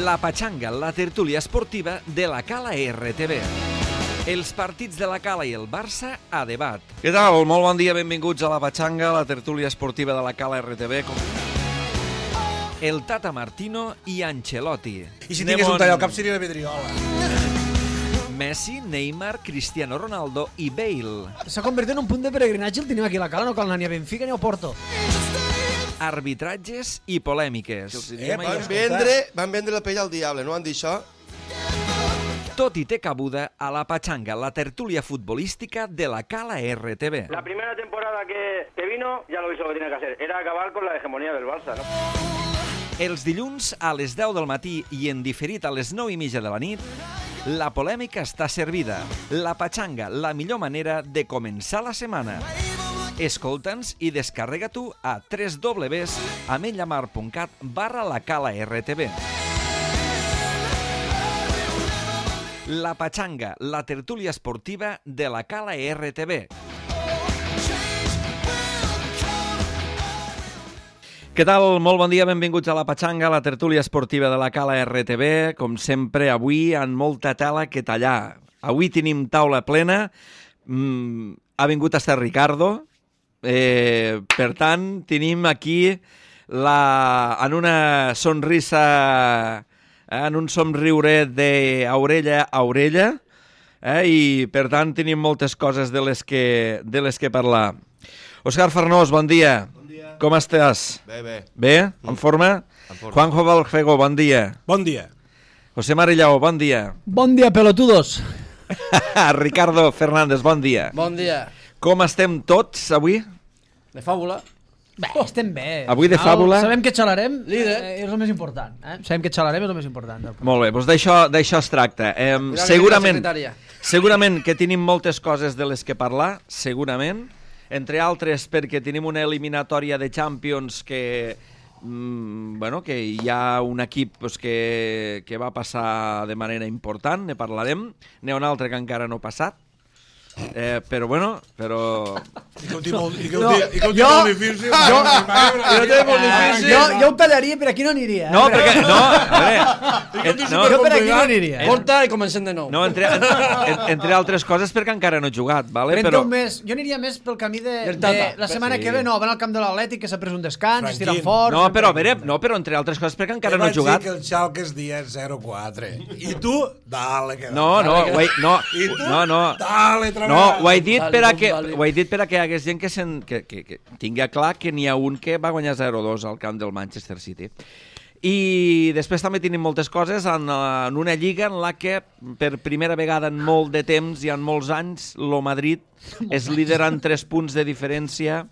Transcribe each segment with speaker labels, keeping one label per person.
Speaker 1: La Patxanga, la tertúlia esportiva de la Cala RTV. Els partits de la Cala i el Barça a debat. Què tal? Molt bon dia, benvinguts a La Patxanga, la tertúlia esportiva de la Cala RTV. El Tata Martino i Ancelotti.
Speaker 2: I si tingués un tall al cap seria la Pedriola.
Speaker 1: Messi, Neymar, Cristiano Ronaldo i Bale.
Speaker 3: S'ha convertit en un punt de peregrinatge el tenim aquí a la Cala, no cal anar ni a Benfica ni a Porto.
Speaker 1: Arbitratges i polèmiques.
Speaker 4: Van vendre la pell al diable, no van dir això?
Speaker 1: Tot i té cabuda a La Patxanga, la tertúlia futbolística de la Cala RTV.
Speaker 5: La primera temporada que vino ya lo hizo lo que tenía que hacer. Era acabar con la hegemonía del Barça, ¿no?
Speaker 1: Els dilluns a les 10 del matí i en diferit a les 9:30 de la nit, la polèmica està servida. La Patxanga, la millor manera de començar la setmana. Escolta'ns i descarrega-t'ho a www.amenyamar.cat/lacala-rtv. La Patxanga, la tertúlia esportiva de la Cala RTV. Què tal? Molt bon dia, benvinguts a La Patxanga, la tertúlia esportiva de la Cala RTV. Com sempre, avui amb molta tela que tallar. Avui tenim taula plena. Ha vingut a estar Ricardo. Per tant, tenim aquí en una sonrisa, en un somriure d'orella a orella, i per tant tenim moltes coses de les que parlar. Òscar Farnós, bon dia. Com estàs?
Speaker 4: Bé.
Speaker 1: Bé? En forma? Juanjo Valfego, bon dia.
Speaker 2: Bon dia.
Speaker 1: José Marillao, bon dia.
Speaker 3: Bon dia, pelotudos.
Speaker 1: Ricardo Fernández, bon dia.
Speaker 6: Bon dia.
Speaker 1: Com estem tots avui?
Speaker 6: De fàbula.
Speaker 3: Bé, estem bé.
Speaker 1: Avui de fàbula.
Speaker 3: Sabem que xalarem,
Speaker 6: Líder.
Speaker 3: És el més important. Sabem que xalarem és el més important.
Speaker 1: Molt bé, doncs d'això es tracta. Segurament que tenim moltes coses de les que parlar, segurament. Entre altres perquè tenim una eliminatòria de Champions que hi ha un equip que va passar de manera important, ne parlarem. N'hi ha un altre que encara no ha passat. Però...
Speaker 2: I que ho té molt difícil.
Speaker 3: Jo ho tallaria, per aquí no aniria.
Speaker 1: No, perquè... No, a veure...
Speaker 3: Jo per aquí no aniria.
Speaker 6: Porta i comencem de nou.
Speaker 1: No, entre altres coses perquè encara no he jugat, vale?
Speaker 3: Però jo aniria més pel camí de la setmana que ve, no, van al camp de l'Atlètic, que s'ha pres un descans, es tiren fort...
Speaker 1: No, però a veure, però entre altres coses perquè encara no he jugat.
Speaker 2: Que el Schalke es dia 0-4. I tu, dale.
Speaker 1: No.
Speaker 2: Dale,
Speaker 1: no, ho he dit per a que hi hagués gent que tingui clar que n'hi ha un que va guanyar 0-2 al camp del Manchester City. I després també tenim moltes coses en una lliga en la que per primera vegada en molt de temps i en molts anys el Madrid és líder en 3 punts de diferència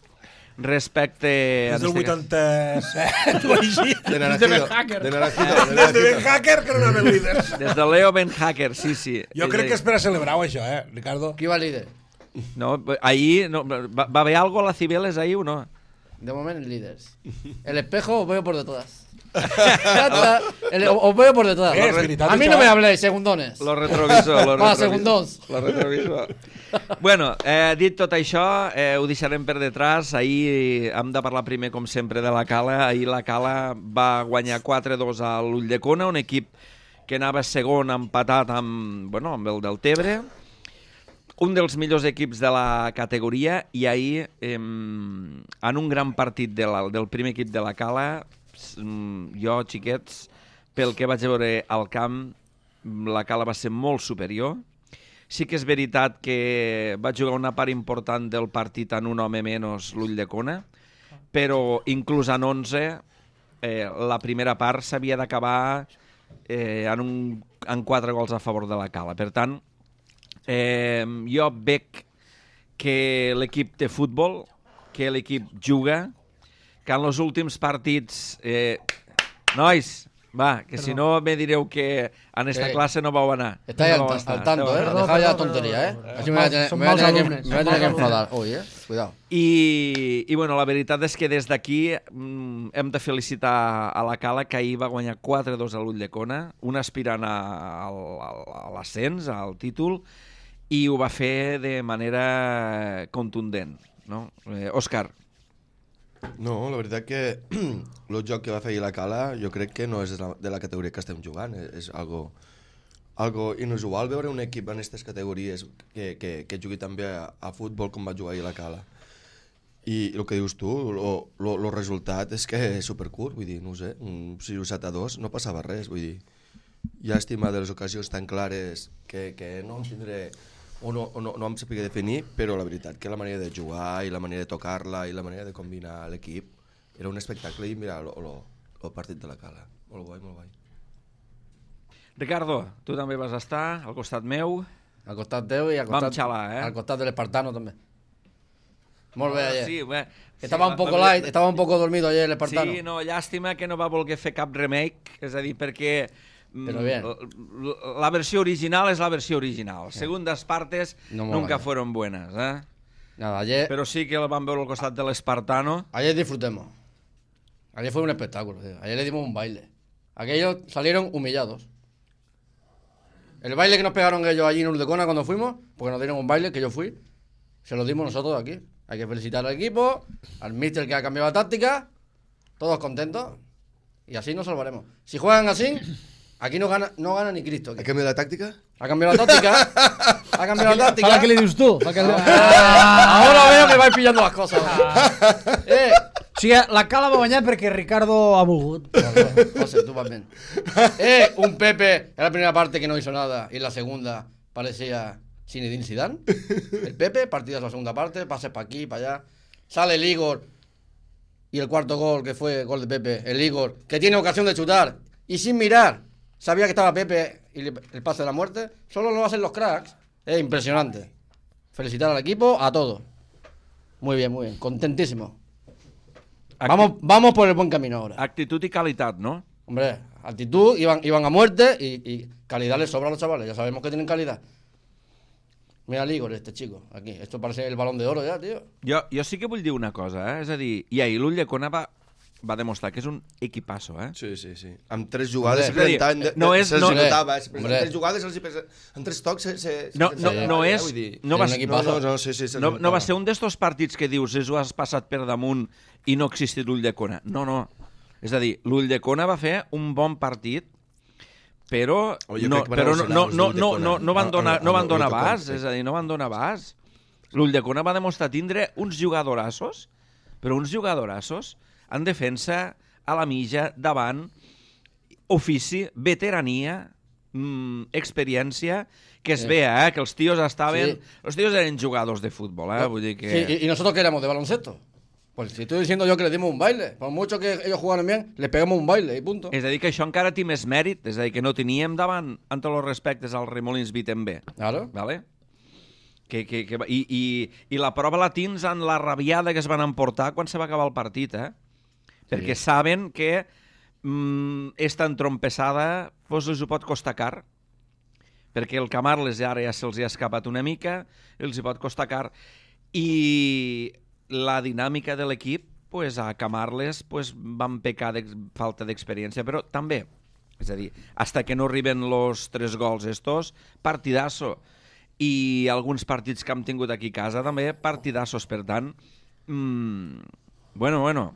Speaker 1: respecte...
Speaker 2: Des del 87
Speaker 4: De Naranjito.
Speaker 2: Des de Ben Hacker que no anaven líders.
Speaker 1: Des de Leo Ben Hacker, sí.
Speaker 2: Jo crec que és per a celebrar-ho això, Ricardo?
Speaker 6: Qui va líder?
Speaker 1: No, ahir va haver algo a la Cibeles ahir o no?
Speaker 6: De moment líderes. El espejo os veo por detrás. Os veo por detrás. A mí no me habléis, segundones.
Speaker 1: Lo retrovisor.
Speaker 6: Segundons.
Speaker 1: Lo retrovisor. Bueno, dit tot això, ho deixarem per detrás. Ahir hem de parlar primer, com sempre, de la Cala. Ahir la Cala va guanyar 4-2 a l'Ulldecona, un equip que anava segon empatat amb el del Tebre. Un dels millors equips de la categoria, i ahir, en un gran partit del primer equip de la Cala, jo, xiquets, pel que vaig veure al camp, la Cala va ser molt superior. Sí que és veritat que va jugar una part important del partit en un home menys, l'Ulldecona, però inclús en 11, la primera part s'havia d'acabar en 4 gols a favor de la Cala. Per tant, jo veig que l'equip té futbol, que l'equip juga, que en els últims partits... Nois, va, que si no me direu que en esta clase no vau anar.
Speaker 6: Estáis al tanto, Dejad ya la tontería, Así me voy a tener que enfadar hoy, Cuidado.
Speaker 1: I la veritat és que des d'aquí hem de felicitar a la Cala, que ahir va guanyar 4-2 a l'Ulldecona, un aspirant a l'ascens, al títol, i ho va fer de manera contundent, no? Òscar.
Speaker 4: No, la veritat que el joc que va fer ahir la Cala jo crec que no és de la categoria que estem jugant, és algo inusual veure un equip en aquestes categories que jugui també a futbol com va jugar ahir la Cala. I el que dius tu, el resultat és que és supercurt, vull dir, no ho sé, un 6-7-2 no passava res, vull dir, llàstima de les ocasions tan clares que no em tindré o no em sapia definir, però la veritat que la manera de jugar i la manera de tocar-la i la manera de combinar l'equip era un espectacle i mira el partit de la Cala, molt guai, molt guai.
Speaker 1: Ricardo, tu també vas estar al costat meu.
Speaker 6: Al costat teu i al costat,
Speaker 1: Vam xalar,
Speaker 6: al costat de l'Espartano també. Molt bé, ayer.
Speaker 1: Sí, bé.
Speaker 6: Estava un poco light, estava un poco dormido ayer l'Espartano.
Speaker 1: Sí, no, llàstima que no va voler fer cap remake, és a dir, perquè la versió original es la versió original. Segundas partes nunca fueron buenas, ¿eh?
Speaker 6: Nada, ayer...
Speaker 1: Pero sí que lo van ver al costat del Espartano.
Speaker 6: Ayer disfrutemos. Ayer fue un espectáculo, tío. Ayer le dimos un baile. Aquellos salieron humillados. El baile que nos pegaron ellos allí en Urdecona cuando fuimos, porque nos dieron un baile, que yo fui, se lo dimos nosotros aquí. Hay que felicitar al equipo, al míster que ha cambiado la táctica, todos contentos, y así nos salvaremos. Si juegan así, aquí no gana ni Cristo.
Speaker 4: ¿Ha cambiado la táctica?
Speaker 6: Ha cambiado la táctica. Ha cambiado la táctica.
Speaker 3: ¿Para qué le dices tú?
Speaker 6: Ahora veo que vais pillando las cosas.
Speaker 3: O sigui, la Cala va guanyar perquè Ricardo ha volgut.
Speaker 6: José, tú vas bien. Un Pepe en la primera parte que no hizo nada y en la segunda parecía Zinedine Zidane. El Pepe, partidas en la segunda parte, pases para aquí, para allá. Sale el Igor y el cuarto gol, que fue gol de Pepe, el Igor, que tiene ocasión de chutar y sin mirar, sabía que estaba Pepe y el pase de la muerte. Solo lo hacen los cracks. Es impresionante. Felicitar al equipo, a todos. Muy bien, contentísimo. Vamos por el buen camino ahora.
Speaker 1: Actitud y calidad, ¿no?
Speaker 6: Hombre, actitud, iban a muerte y calidad les sobra a los chavales. Ya sabemos que tienen calidad. Mira el Igor, este chico, aquí. Esto parece el Balón de Oro ja, tio.
Speaker 1: Jo sí que vull dir una cosa, És a dir, i ahir l'Ulldecona va demostrar que és un equipasso,
Speaker 4: Sí. Amb 3 jugades
Speaker 1: se'ls
Speaker 4: notava. Amb 3 jugades, amb 3 tocs...
Speaker 1: No va ser un d'estos partits que dius ho has passat per damunt i no ha existit l'Ulldecona. No. És a dir, l'Ulldecona va fer un bon partit, però no van donar abast, és a dir, no van donar abast. L'Ulldecona va demostrar tindre uns jugadorassos, però uns jugadorassos en defensa, a la mitja, davant, ofici, veterania, experiència, que es vea, que els tios estaven... Els tios eren jugadors de futbol, vull dir que...
Speaker 6: Sí, y nosotros que éramos de baloncesto. Pues si estoy diciendo yo que les dimos un baile, por mucho que ellos jugaran bien, les pegamos un baile y punto.
Speaker 1: És a dir, que això encara té més mèrit, és a dir, que no teníem davant, en tots els respectes, al Remolins Vitembe.
Speaker 6: Claro.
Speaker 1: Vale? I la prova la tens en la rabiada que es van emportar quan se va acabar el partit, perquè saben que esta entrompessada pues, els ho pot costar car, perquè el Camarles ara ja se'ls ha escapat una mica, els hi pot costar car, i la dinàmica de l'equip, pues, a Camarles pues, van pecar de falta d'experiència, però també, és a dir, hasta que no arriben los 3 gols estos, partidasso, i alguns partits que hem tingut aquí a casa també, partidassos, per tant, bueno,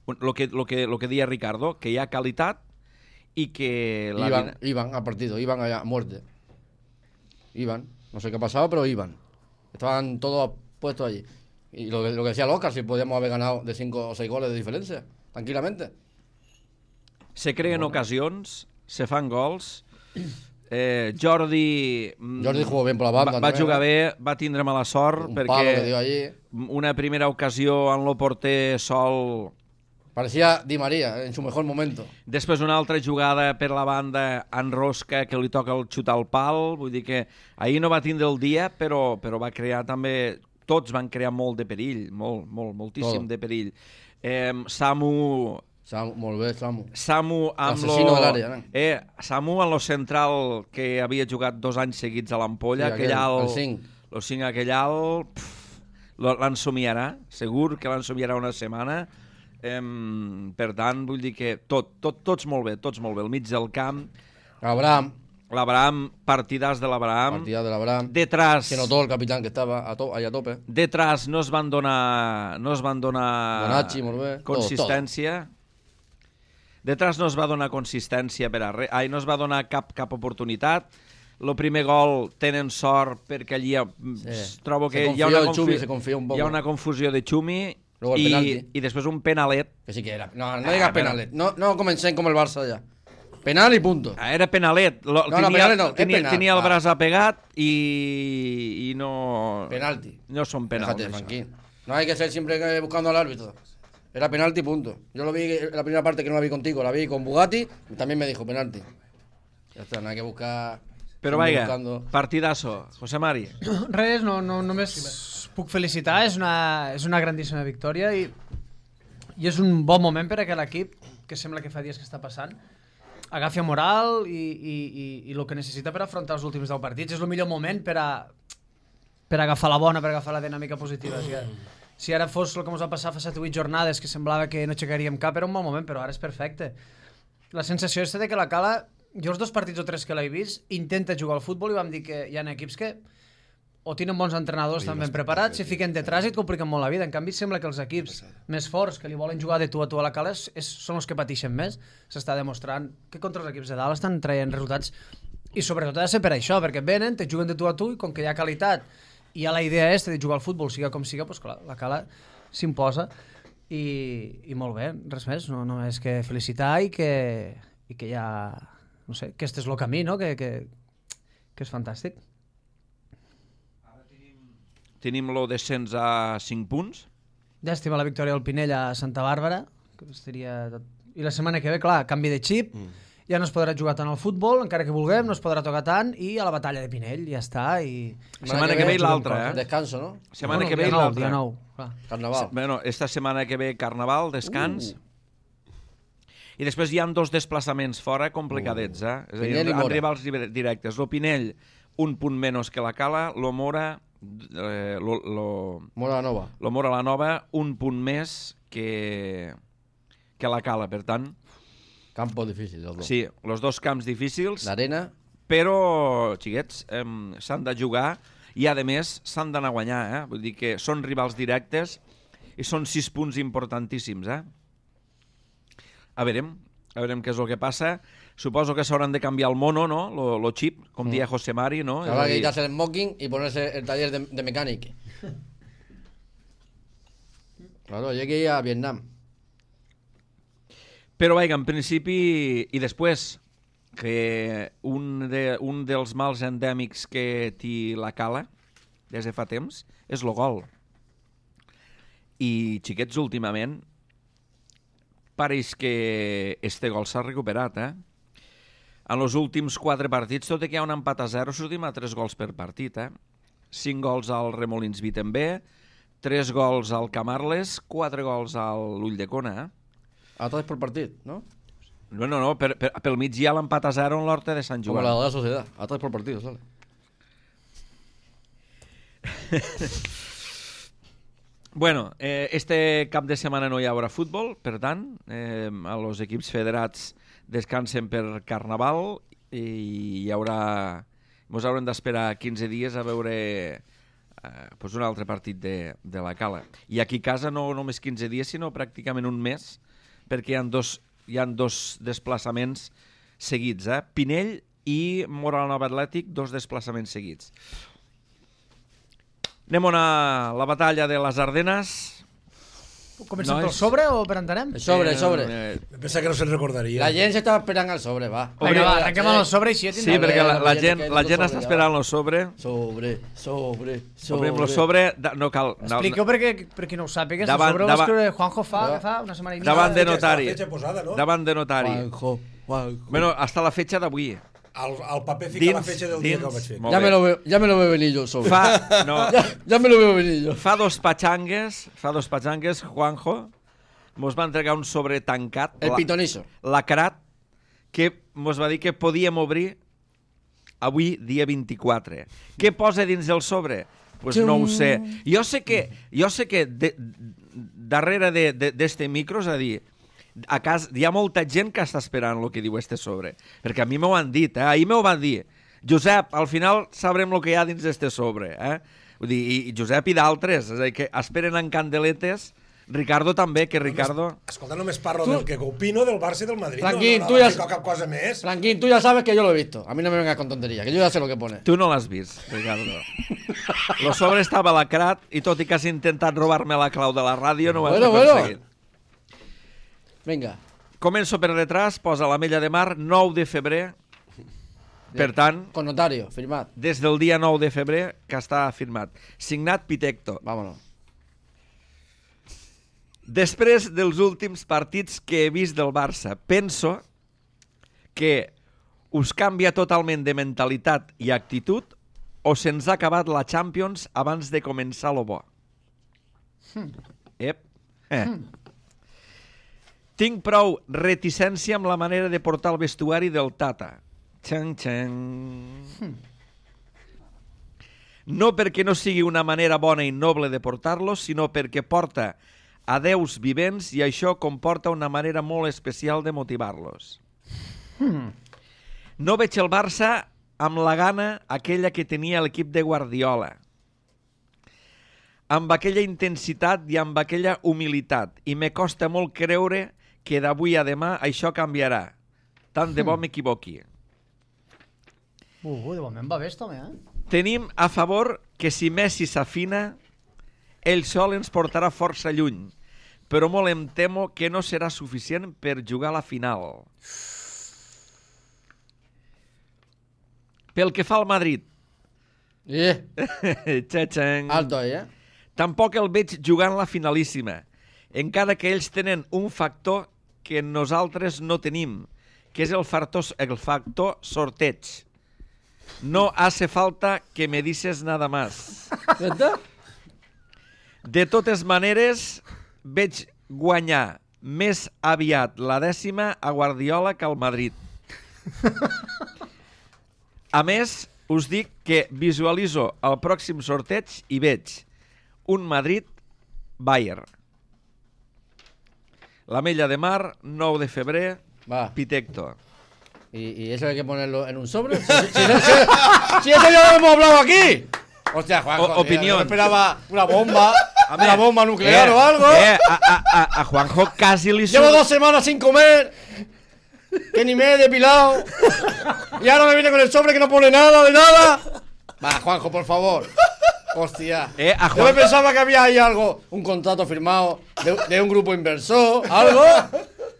Speaker 1: lo que deia Ricardo, que hi ha qualitat y que...
Speaker 6: Iban al partido, iban a muerte. Iban, no sé qué ha pasado, pero iban. Estaban todos puestos allí. Y lo que decía el Oscar, si podíamos haber ganado de 5 o 6 goles de diferencia, tranquilamente.
Speaker 1: Se creen ocasions, se fan gols. Jordi
Speaker 6: jugó bien por la banda.
Speaker 1: Va jugar bé, va tindre mala sort,
Speaker 6: perquè
Speaker 1: una primera ocasió en lo porter sol...
Speaker 6: Parecía Di María en su mejor momento.
Speaker 1: Després una altra jugada per la banda en Rosca que li toca el xutar al pal. Vull dir que ahir no va tindre el dia, però va crear també... Tots van crear molt de perill, moltíssim de perill. Samu,
Speaker 6: molt bé, Samu.
Speaker 1: Samu amb
Speaker 6: l'assassino de l'àrea, no?
Speaker 1: Samu en lo central que havia jugat 2 anys seguits a l'Ampolla,
Speaker 6: sí, el 5.
Speaker 1: Lo 5 aquell alt, l'ensomiarà, segur que l'ensomiarà una setmana. Per tant, vull dir que tots molt bé, al mig del camp.
Speaker 6: Abraham,
Speaker 1: L'Abraham, partidàs de l'Abraham.
Speaker 6: Partida de l'Abraham.
Speaker 1: Detrás...
Speaker 6: Se notó el capitán que estaba allá a tope.
Speaker 1: Detrás no es van donar
Speaker 6: Bonachi, molt bé.
Speaker 1: consistència. Detrás no es va donar consistència per a res. No es va donar cap oportunitat. El primer gol tenen sort perquè allí trobo que hi ha una confusió de Xumi i després un penalet.
Speaker 6: Que sí que era. No digas penalet. No comencem com el Barça ja. Penal i punto.
Speaker 1: Era penalet.
Speaker 6: Penalet no,
Speaker 1: tenia el braç apegat i no...
Speaker 6: Penalti.
Speaker 1: No són penals.
Speaker 6: No hay que ser siempre buscando al árbitro. Era penalti, punto. Yo lo vi, la primera parte que no la vi contigo, la vi con Bugatti, también me dijo penalti. Ya está, no hay que buscar...
Speaker 1: Però vaja, partidazo. José Mari.
Speaker 3: Res, només puc felicitar, és una grandíssima victòria i és un bon moment per a aquest equip, que sembla que fa dies que està passant, agafi moral i el que necessita per afrontar els últims 10 partits. És el millor moment per agafar la bona, per agafar la dinàmica positiva. Si ara fos el que ens va passar fa 7 o 8 jornades, que semblava que no aixecaríem cap, era un bon moment, però ara és perfecte. La sensació és de que la Cala, jo els 2 partits o 3 que l'he vist, intenta jugar al futbol i vam dir que hi ha equips que o tenen bons entrenadors tan ben preparats, si fiquen detrás i et compliquen molt la vida. En canvi, sembla que els equips més forts que li volen jugar de tu a la Cala són els que pateixen més. S'està demostrant que contra els equips de dalt estan traient resultats i sobretot ha de ser per això, perquè venen, te juguen de tu a tu i com que hi ha qualitat i hi ha la idea de jugar al futbol, siga com siga, doncs clar, la Cala s'imposa i molt bé, res més, no només que felicitar i que ja, no sé, que este és el camí, no? que és fantàstic.
Speaker 1: Tenim lo descens a 5 punts.
Speaker 3: Llàstima la victòria del Pinell a Santa Bàrbara, que seria tot. I la setmana que ve, clar, canvi de xip, ja no es podrà jugar tant al futbol, encara que vulguem, no es podrà tocar tant, i a la batalla de Pinell, ja està.
Speaker 1: Setmana que ve i l'altra,
Speaker 6: Descanso, no?
Speaker 1: Setmana que ve i l'altra.
Speaker 3: Dia 9, clar.
Speaker 6: Carnaval.
Speaker 1: Bueno, esta setmana que ve Carnaval, descans. I després hi ha 2 desplaçaments fora complicadets, És a dir, amb rivals directes. Lo Pinell, un punt menys que la Cala, lo Mora...
Speaker 6: Mora
Speaker 1: la Nova, un punt més que la Cala, per tant...
Speaker 6: Campo difícil, els dos.
Speaker 1: Sí, els 2 camps difícils.
Speaker 6: L'arena.
Speaker 1: Però, xiquets, s'han de jugar i, a més, s'han d'anar a guanyar, Vull dir que són rivals directes i són 6 punts importantíssims, A veurem què és el que passa. Suposo que s'hauran de canviar el mono, ¿no? Lo chip, com dia José Mari, ¿no?
Speaker 6: Habrá que quitarse el smoking y ponerse el taller de mecánica. Claro, llegué a Vietnam.
Speaker 1: Però, vaja, en principi, i després, que un dels mals endèmics que té la Cala, des de fa temps, és el gol. I, xiquets, últimament, pareix que este gol s'ha recuperat, En els últims 4 partits, tot i que hi ha un empat a 0, sortim a 3 gols per partit, 5 gols al Remolins Vitembé, 3 gols al Camarles, 4 gols a l'Ulldecona,
Speaker 6: A 3 per partit, no?
Speaker 1: No, pel mig hi ha l'empat a 0 en l'Horta de Sant Joan.
Speaker 6: Com la de la Societat, a 3 per partit, sale.
Speaker 1: Bueno, este cap de setmana no hi haurà futbol, per tant, els equips federats descansen per Carnaval i hi haurà... Ens haurem d'esperar 15 dies a veure un altre partit de la Cala. I aquí a casa no només 15 dies, sinó pràcticament un mes, perquè hi ha 2 desplaçaments seguits, Pinell i Mora la Nova Atlètic, 2 desplaçaments seguits. Anem a la batalla de les Ardenes.
Speaker 3: Comencem pel sobre o per entenem?
Speaker 6: El sobre.
Speaker 2: Pensa que no se'n recordaria.
Speaker 6: La gent s'estava esperant al sobre, va.
Speaker 3: Vinga, va, arrenquem amb el sobre i així...
Speaker 1: Sí, perquè la gent està esperant el sobre.
Speaker 6: Sobre.
Speaker 1: Obrim el sobre, no cal...
Speaker 3: Expliqueu per qui no ho sàpiga, el sobre ho va escriure Juanjo fa una setmana i mitja.
Speaker 1: Davant de notari.
Speaker 2: Posada, no?
Speaker 1: Davant de notari.
Speaker 6: Juanjo.
Speaker 1: Bueno, hasta la fetxa d'avui.
Speaker 2: Al paper fica la fetxa del dia que ho vaig fer.
Speaker 6: Ya me lo veo venir yo sobre. Ya me lo veo venir yo.
Speaker 1: Fa dos patxangues, Juanjo, mos va entregar un sobre tancat.
Speaker 6: El pitonizo.
Speaker 1: Lacrat, que mos va dir que podíem obrir avui, dia 24. Què posa dins del sobre? Pues no ho sé. Jo sé que darrere d'este micro, és a dir, a casa, hi ha molta gent que està esperant el que diu este sobre. Perquè a mi m'ho han dit, ahir m'ho van dir. Josep, al final sabrem el que hi ha dins d'este sobre. Vull dir, i Josep i d'altres, és a dir, que esperen en candeletes. Ricardo també, que Ricardo...
Speaker 2: Escolta, només parlo del que opino del Barça i del Madrid.
Speaker 6: Franquín,
Speaker 2: no
Speaker 6: tú ya...
Speaker 2: cap cosa més.
Speaker 6: Franquín, tú ya sabes que yo lo he visto. A mí no me vengas con tonterías, que yo ya sé lo que pone.
Speaker 1: Tu no l'has vist, Ricardo. Lo sobre estava lacrat i tot i que has intentat robar-me la clau de la ràdio, no ho has aconseguit.
Speaker 6: Venga.
Speaker 1: Començo per detrás, posa l'Ametlla de Mar, 9 de febrer. Per tant,
Speaker 6: Con notario, firmad.
Speaker 1: des del dia 9 de febrer que està firmat. Signat Pitecto.
Speaker 6: Vámonos.
Speaker 1: Després dels últims partits que he vist del Barça, penso que us canvia totalment de mentalitat i actitud o se'ns ha acabat la Champions abans de començar lo bo. Ep. Tinc prou reticència amb la manera de portar el vestuari del Tata. Xang. No perquè no sigui una manera bona i noble de portar-los, sinó perquè porta a déus vivents i això comporta una manera molt especial de motivar-los. No veig el Barça amb la gana aquella que tenia l'equip de Guardiola, amb aquella intensitat i amb aquella humilitat, i me costa molt creure que d'avui a demà això canviarà. Tant de bo m'equivoqui.
Speaker 3: De moment va bé, home,
Speaker 1: Tenim a favor que si Messi s'afina, ell sol ens portarà força lluny, però molt em temo que no serà suficient per jugar a la final. Pel que fa al Madrid, Txetxeng,
Speaker 6: Alto ahí,
Speaker 1: tampoc el veig jugant la finalíssima, encara que ells tenen un factor que nosaltres no tenim, que és el factor sorteig. No hace falta que me dices nada más. De totes maneres, veig guanyar més aviat la 10ª a Guardiola que al Madrid. A més, us dic que visualitzo el pròxim sorteig i veig un Madrid-Bayern. L'Ametlla de Mar, 9 de febrer,
Speaker 6: Va.
Speaker 1: Pitecto.
Speaker 6: ¿Y eso hay que ponerlo en un sobre? Si eso ya lo hemos hablado aquí. Hostia, Juanjo,
Speaker 1: Opinión.
Speaker 6: yo esperaba una bomba, una bomba nuclear o algo.
Speaker 1: A Juanjo casi li
Speaker 6: Llevo
Speaker 1: surt...
Speaker 6: 2 semanas sin comer, que ni me he depilado. Y ahora me viene con el sobre que no pone nada de nada. Va, Juanjo, por favor. Hostia.
Speaker 1: A
Speaker 6: Yo me pensaba que había ahí algo, un contrato firmado de un grupo inversor, algo.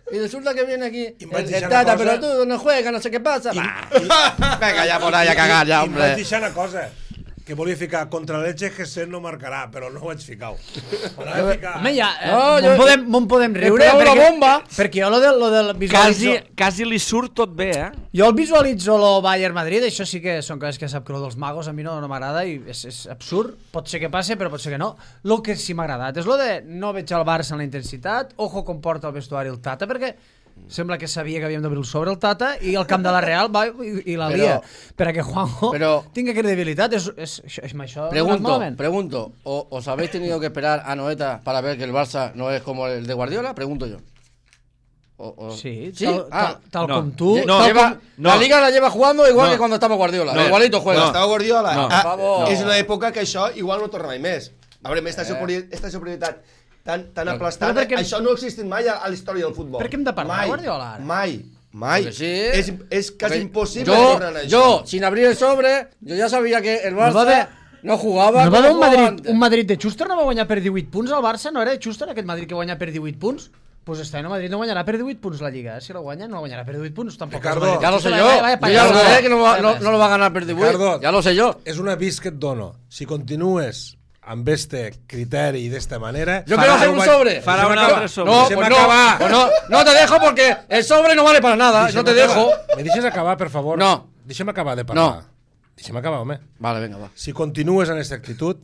Speaker 6: Y resulta que viene aquí el Tata, pero tú no juegas, no sé qué pasa. Venga ya por ahí a cagar ya,
Speaker 2: I em vaig
Speaker 6: hombre.
Speaker 2: deixar una cosa, que volia ficar contra l'Elche Gessent no marcarà, però no ho vaig ficar. M'anava a ficar...
Speaker 3: Home, ja,
Speaker 6: No,
Speaker 3: me'n podem riure.
Speaker 6: Esperava una bomba.
Speaker 3: Perquè jo lo del visualitzo...
Speaker 1: Quasi li surt tot bé,
Speaker 3: Jo el visualitzo lo Bayern-Madrid, això sí que són coses que sap que lo dels magos a mi no m'agrada i és absurd. Pot ser que passe, però pot ser que no. Lo que sí m'ha agradat és lo de no veig el Barça en la intensitat, ojo com porta el vestuari el Tata, perquè sembla que sabia que havíem d'obrir el sobre el Tata i el camp de la Real va i la lia. Perquè Juanjo tingui credibilitat. Això
Speaker 6: Pregunto, ¿os habéis tenido que esperar a Noeta para ver que el Barça no es como el de Guardiola? Pregunto yo.
Speaker 3: Sí,
Speaker 6: ¿Sí?
Speaker 3: tal com tu.
Speaker 6: La Liga la lleva jugando igual que cuando estaba Guardiola. Igualito juega.
Speaker 4: Estava Guardiola.
Speaker 6: Per favor.
Speaker 4: És una època que això igual no torna mai més. A veure, esta superioritat tan aplastada, això no ha existit mai a la història del futbol.
Speaker 3: Per què hem de parlar de Guardiola ara?
Speaker 4: Mai.
Speaker 6: Sí.
Speaker 4: És quasi impossible tornar a això.
Speaker 6: Yo, sin abrir el sobre, yo ya sabía que el Barça no jugaba.
Speaker 3: No va haver un Madrid de Schuster, no va guanyar per 18 punts al Barça? No era de Schuster aquest Madrid que guanya per 18 punts? Pues este año Madrid no guanyarà per 18 punts la Lliga. Si lo guanya, no guanyarà per 18 punts. Tampoc
Speaker 2: Ricardo,
Speaker 6: ya lo sé yo. Yo ya lo sé que no lo va a ganar per 18.
Speaker 2: Ricardo,
Speaker 6: ya lo sé yo.
Speaker 2: És un avís que et dono. Si continues amb este criteri i d'esta manera...
Speaker 6: Yo quiero hacer un sobre.
Speaker 1: Farà un altre sobre.
Speaker 6: No, pues no te dejo porque el sobre no vale para nada. No te dejo.
Speaker 2: Me deixes acabar, per favor?
Speaker 6: No.
Speaker 2: Deixa'm acabar de parlar.
Speaker 6: No.
Speaker 2: Deixa'm acabar, home.
Speaker 6: Vale, venga, va.
Speaker 2: Si continues en aquesta actitud,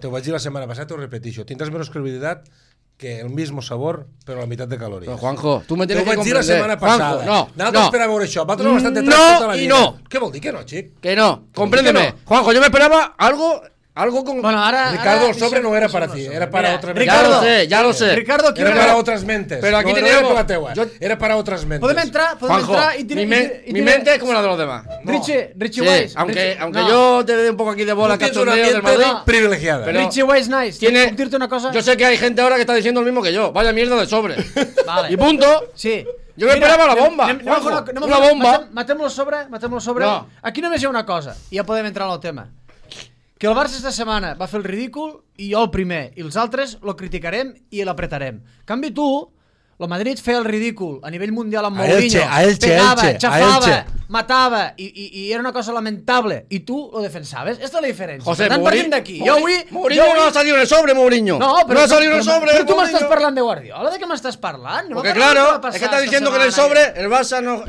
Speaker 2: te ho vaig dir la setmana passada, t'ho repetixo, tindràs menys credibilitat que el mismo sabor, però a la meitat de calories.
Speaker 6: Pero Juanjo, tú me tienes que comprender.
Speaker 2: Te ho vaig dir la setmana passada.
Speaker 6: Juanjo,
Speaker 2: Nosaltres per a veure això. Vosaltres no bastant detrás tota la vida.
Speaker 6: No.
Speaker 2: Què vol dir que no, xic?
Speaker 6: Que no. Compréndeme.
Speaker 2: ¿Por qué no?
Speaker 6: Juanjo, yo me esperaba algo Algo con...
Speaker 3: Bueno, ahora...
Speaker 2: Ricardo, el
Speaker 3: ahora
Speaker 2: sobre no era para
Speaker 3: deixem
Speaker 2: ti,
Speaker 3: el
Speaker 2: era
Speaker 3: sobre.
Speaker 2: para
Speaker 3: Mira,
Speaker 2: otra
Speaker 3: Ricardo,
Speaker 6: Ya lo sé.
Speaker 3: Ricardo,
Speaker 2: Era para otras mentes.
Speaker 6: Pero aquí
Speaker 2: no,
Speaker 6: tenemos-
Speaker 2: no era para la teua,
Speaker 6: yo-
Speaker 2: era para otras mentes.
Speaker 3: Podem entrar
Speaker 6: Juanjo,
Speaker 3: y
Speaker 6: mi mente es como la de los demás.
Speaker 3: Richie
Speaker 6: Sí,
Speaker 3: Weiss.
Speaker 6: aunque
Speaker 3: no.
Speaker 6: yo te dé un poco aquí de bola
Speaker 2: Tú tienes una
Speaker 6: cachondeo del
Speaker 2: mente
Speaker 6: Madrid,
Speaker 2: privilegiada.
Speaker 6: pero-
Speaker 3: Richie Weiss nice.
Speaker 6: tiene...
Speaker 3: Puc dir-te una cosa?
Speaker 6: Yo sé que hay gente ahora que está diciendo lo mismo que yo. Vaya mierda de sobre.
Speaker 3: Vale.
Speaker 6: Y punto.
Speaker 3: Sí.
Speaker 6: Jo me esperava la bomba,
Speaker 3: Anem
Speaker 6: Juanjo.
Speaker 3: a fer
Speaker 6: Una bomba.
Speaker 3: Matem-lo sobre.
Speaker 6: No.
Speaker 3: Aquí només hi ha una cosa, i ja podem entrar en el tema. Que el Barça esta setmana va fer el ridícul i jo el primer, i els altres lo criticarem i l'apretarem. En canvi tu, el Madrid feia el ridícul a nivell mundial amb
Speaker 2: A
Speaker 3: Mourinho,
Speaker 2: Elche,
Speaker 3: pegava,
Speaker 2: a
Speaker 3: xafava,
Speaker 2: Elche.
Speaker 3: matava i era una cosa lamentable i tu lo defensaves. Esta és la diferència.
Speaker 6: José,
Speaker 3: Per tant, partim d'aquí. Jo avui...
Speaker 6: Mourinho no ha salido en el sobre, Mourinho.
Speaker 3: No, però,
Speaker 6: no ha salido en el sobre.
Speaker 3: Però tu
Speaker 6: Mourinho.
Speaker 3: m'estàs parlant de Guardiola, ¿de què m'estàs parlant? No
Speaker 6: Porque
Speaker 3: me parles de
Speaker 6: claro,
Speaker 3: què va
Speaker 6: es que
Speaker 3: passar
Speaker 6: está
Speaker 3: esta
Speaker 6: diciendo que en el
Speaker 3: setmana.
Speaker 6: sobre el Barça no,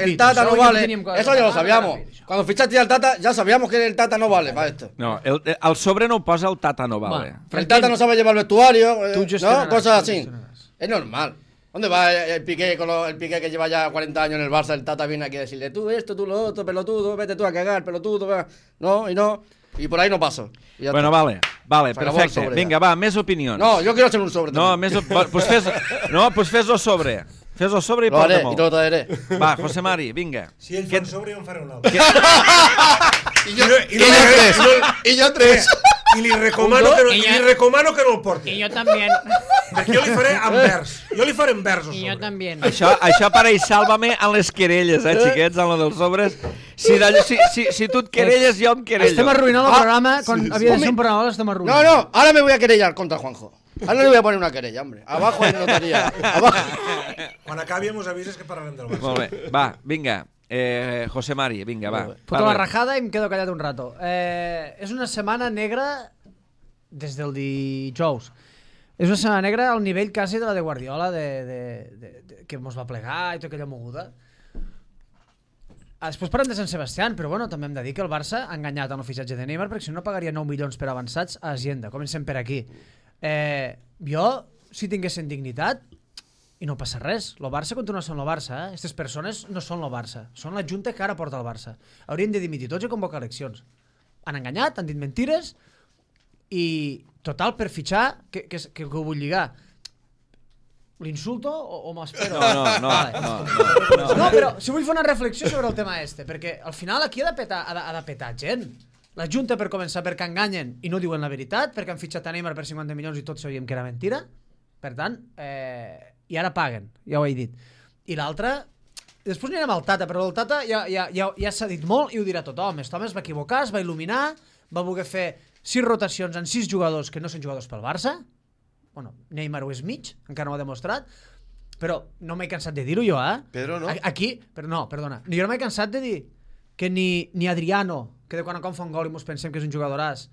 Speaker 6: el Tata no vale. Eso ya lo sabíamos. Cuando fichaste al Tata ya sabíamos que el Tata no vale para esto.
Speaker 1: No, el sobre no ho posa el Tata no vale.
Speaker 6: El Tata no sabe llevar el vestuario,
Speaker 3: Tú gestionarás,
Speaker 6: ¿no? Cosas
Speaker 3: tú
Speaker 6: así.
Speaker 3: gestionarás.
Speaker 6: Es normal. ¿Dónde va el Piqué el Piqué que lleva ya 40 años en el Barça? El Tata viene aquí a decirle, tú esto, tú lo otro, pelotudo, vete tú a cagar, pelotudo, va. No, y no. Y por ahí no paso. Y ya
Speaker 1: Bueno,
Speaker 6: está.
Speaker 1: vale,
Speaker 6: Se acabó el
Speaker 1: perfecte.
Speaker 6: sobre,
Speaker 1: Vinga,
Speaker 6: ja.
Speaker 1: va, més opinions.
Speaker 6: No, yo quiero hacer un sobre
Speaker 1: No,
Speaker 6: también.
Speaker 1: més... Pues fes-lo sobre. Fes-lo sobre i
Speaker 6: Lo haré
Speaker 1: porta-m'ho.
Speaker 6: y te lo traeré.
Speaker 1: Va, José Mari, vinga.
Speaker 2: Si ell
Speaker 1: Què-
Speaker 2: fa un sobre, jo en faré un altre.
Speaker 4: I jo tres.
Speaker 2: I li recomano que no el porti.
Speaker 3: Y yo también.
Speaker 2: Perquè jo li faré en vers. Jo li faré en vers el
Speaker 3: Y yo
Speaker 2: sobre.
Speaker 3: también.
Speaker 1: Això pareix Sálvame en les querelles, xiquets, en lo dels sobres. Si tu et querelles, jo em querello.
Speaker 3: Estem arruïnant el programa, quan havia de ser un programa, l'estem
Speaker 6: No,
Speaker 3: arruïnant.
Speaker 6: no, ahora me voy a querellar contra Juanjo. Ahora no le voy a poner una querella, hombre. Abajo hay notaría. Abajo.
Speaker 2: Quan acabi mos avises que parlarem del Barça.
Speaker 1: Molt bé, va, vinga. José Mari, vinga, va.
Speaker 3: Foto la
Speaker 1: parla.
Speaker 3: rajada i em quedo callat un rato. És una setmana negra des del dijous. És una setmana negra al nivell quasi de la de Guardiola, que mos va plegar i tota aquella moguda. Després parlem de Sant Sebastián, però bueno, també hem de dir que el Barça ha enganyat en el fitxatge de Neymar, perquè si no pagaria 9 milions per avançats a Hacienda. Comencem per aquí. Jo, si tinguessin dignitat, i no passa res, el Barça continua sent el Barça, eh? Aquestes persones no són el Barça, són la junta que ara porta el Barça. Haurien de dimitir tots i convocar eleccions. Han enganyat, han dit mentires, i total, per fitxar, que ho vull lligar. L'insulto o m'espero? No, però si vull fer una reflexió sobre el tema este, perquè al final aquí ha de petar gent. La Junta, per començar, perquè enganyen i no diuen la veritat, perquè han fitxat a Neymar per 50 milions i tots sabíem que era mentira. Per tant, i ara paguen, ja ho he dit. I l'altre, després anirem al Tata, però el Tata ja s'ha dit molt i ho dirà tothom. Aquest home es va equivocar, es va il·luminar, va voler fer 6 rotacions en 6 jugadors que no són jugadors pel Barça. Bueno, Neymar ho és mig, encara no ho ha demostrat, però no m'he cansat de dir-ho jo, eh?
Speaker 4: Pedro, no?
Speaker 3: Aquí, però no, perdona, jo no m'he cansat de dir que ni Adriano, que de quan en quan fa un gol i mos pensem que és un jugadoràs,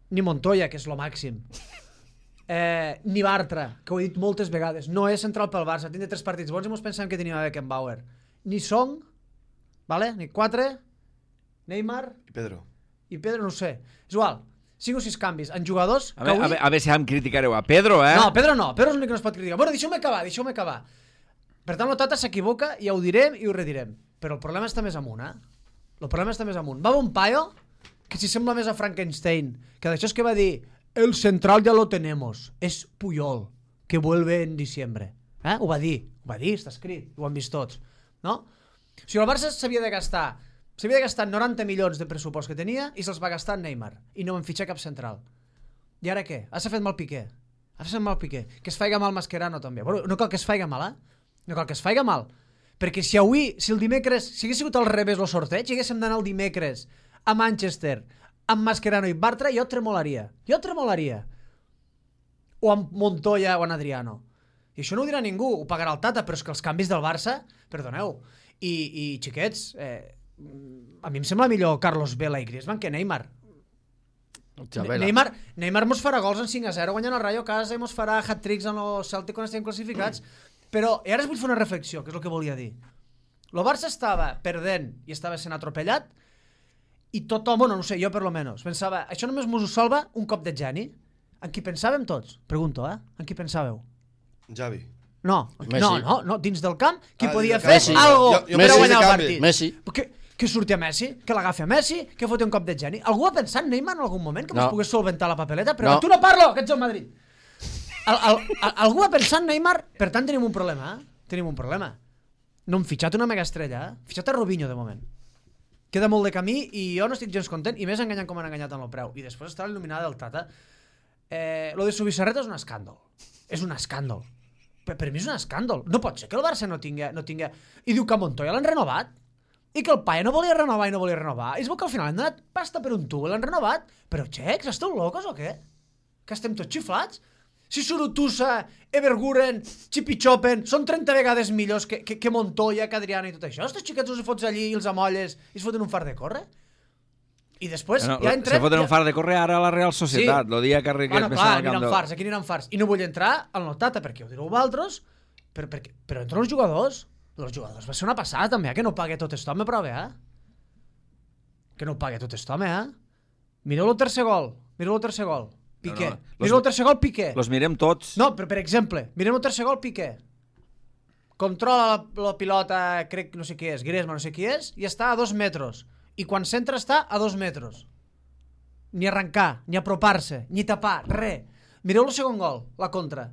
Speaker 3: ni Montoya, que és lo màxim, ni Bartra, que ho he dit moltes vegades, no és central pel Barça, tindre 3 partits bons i mos pensem que tenia Beckenbauer, ni Song, vale? Ni 4, Neymar
Speaker 4: I
Speaker 3: Pedro, no ho sé, és igual, 5 o 6 canvis en jugadors
Speaker 1: A veure si em criticareu a Pedro, eh?
Speaker 3: No, Pedro no, Pedro és l'únic que no es pot criticar. Bueno, deixeu-me acabar. Per tant, el Tata s'equivoca, ja ho direm i ho redirem. Però el problema està més amunt, eh? El problema està més amunt. Va un paio que si sembla més a Frankenstein, que d'això és que va dir el central ja lo tenemos, és Puyol, que vuelve en diciembre. Ho va dir, està escrit, ho han vist tots. No? O sigui, el Barça s'havia de gastar 90 milions de pressupost que tenia i se'ls va gastar en Neymar i no van fitxar cap central. I ara què? S'ha fet mal Piqué. Que es faiga mal Mascherano també. Bueno, no cal que es faiga mal, No cal que es faiga mal. Perquè si el dimecres, si hagués sigut al revés el sorteig, i haguéssim d'anar el dimecres a Manchester amb Mascherano i Bartra, jo tremolaria. O amb Montoya o amb Adriano. I això no ho dirà ningú, ho pagarà el Tata, però és que els canvis del Barça, perdoneu, i xiquets, a mi em sembla millor Carlos Vela i Griezmann que Neymar. Neymar mos farà gols en 5-0 guanyant el Rayo a casa i mos farà hat-tricks en el Celtic quan estem classificats, però i ara es vull fer una reflexió, que és el que volia dir. El Barça estava perdent i estava sent atropellat i tothom, bueno, no sé, jo per lo menos pensava, això només mos ho salva un cop de geni. En qui pensàvem tots? Pregunto, en qui pensàveu?
Speaker 4: Javi.
Speaker 3: No, dins del camp, qui podia
Speaker 4: dins del
Speaker 3: fer
Speaker 4: camp.
Speaker 3: algo
Speaker 4: Jo
Speaker 3: per
Speaker 4: Messi,
Speaker 3: guanyar el
Speaker 4: de
Speaker 3: partit?
Speaker 6: Messi.
Speaker 3: que surti a Messi, que l'agafi a Messi, que foti un cop de geni. Algú ha pensat en Neymar en algun moment que mos pogués solventar la papeleta? Però tu no parlo, que ets el Madrid. Algú ha pensat en Neymar? Per tant, tenim un problema, Tenim un problema. No hem fitxat una mega estrella, Fitxat a Robinho, de moment. Queda molt de camí i jo no estic gens content, i més enganyant com han enganyat en el preu. I després està l'il·luminada del Tata. Lo de Subisarreta és un escàndol. És un escàndol. Per mi és un escàndol. No pot ser que el Barça no tingui... I diu que a Montoya l'han renovat. I que el Paia no volia renovar i no volia renovar. I es veu que al final han donat pasta per un tubo i l'han renovat. Però, xecs, esteu locos o què? Que estem tots xiflats? Si Surutusa, Everguren, Chipichopen són 30 vegades millors que Montoya, que Adriano i tot això. Estos xiquets els fots allí i els amolles i es foten un far de córrer? I després ja entrem...
Speaker 1: Se foten un far de córrer ara a la Real Societat. Sí. El dia que arribem
Speaker 3: més al camp de... Aquí aniran fars. I no vull entrar al Notata perquè ho direu vosaltres, però entren els jugadors. Els jugadors va ser una passada també, que no pague tot esto, me prove, Que no pague tot esto, Mireu el tercer gol. Piqué. Mireu el tercer gol, Piqué.
Speaker 1: Los mirem tots.
Speaker 3: No, però per exemple, mirem el tercer gol, Piqué. Controla la pilota, crec, no sé qui és, Griezmann, no sé qui és, i està a 2 metres. I quan s'entra està a 2 metres. Ni arrencar, ni apropar-se, ni tapar, res. Mireu el segon gol, la contra.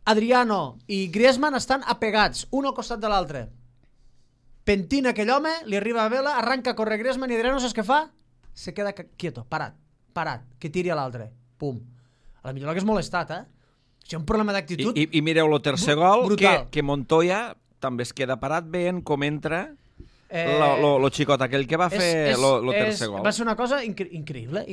Speaker 3: Adriano i Griezmann estan apegats, un al costat de l'altre. Pentina aquell home, li arriba a vela, arranca a córrer Griezmann i Adriano, saps què fa? Se queda quieto, parat, que tiri a l'altre. Pum. A la millor l'hagués molestat, Això és un problema d'actitud.
Speaker 1: I mireu el tercer gol, que Montoya també es queda parat veient com entra lo xicot aquell que va fer el tercer gol.
Speaker 3: Va ser una cosa increïble.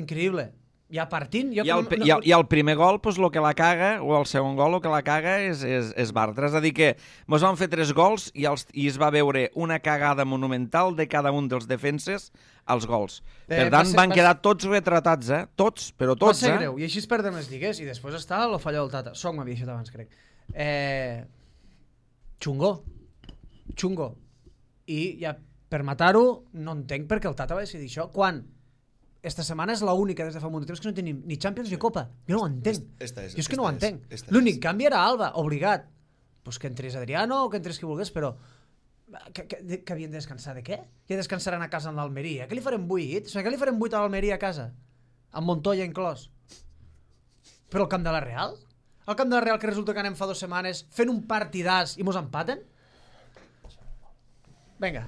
Speaker 3: Ja partint...
Speaker 1: I el primer gol, pues, lo que la caga, o el segon gol, el que la caga és Bartra. És a dir, que mos van fer 3 gols i es va veure una cagada monumental de cada un dels defenses als gols. Per tant, van quedar tots retratats, Tots, però tots,
Speaker 3: Va ser greu, i així es perden les lligues, i després està lo fallo del Tata. Soc m'havia dit abans, crec. Xungo. I ja, per matar-ho, no entenc per què el Tata va decidir això. Quan? Esta setmana és l'única des de fa molt de temps que no tenim ni Champions ni Copa. Jo no ho entenc. Jo és que no ho entenc. L'únic canvi era Alba, obligat. Pues que entrés Adriano o que entrés qui volgués, però... Que havien de descansar de què? Que descansaran a casa en l'Almeria. Què li farem 8? Què li farem 8 a l'Almeria a casa? Amb Montoya inclòs. Però al camp de la Real? Al camp de la Real que resulta que anem fa 2 setmanes fent un partidàs i mos empaten? Vinga,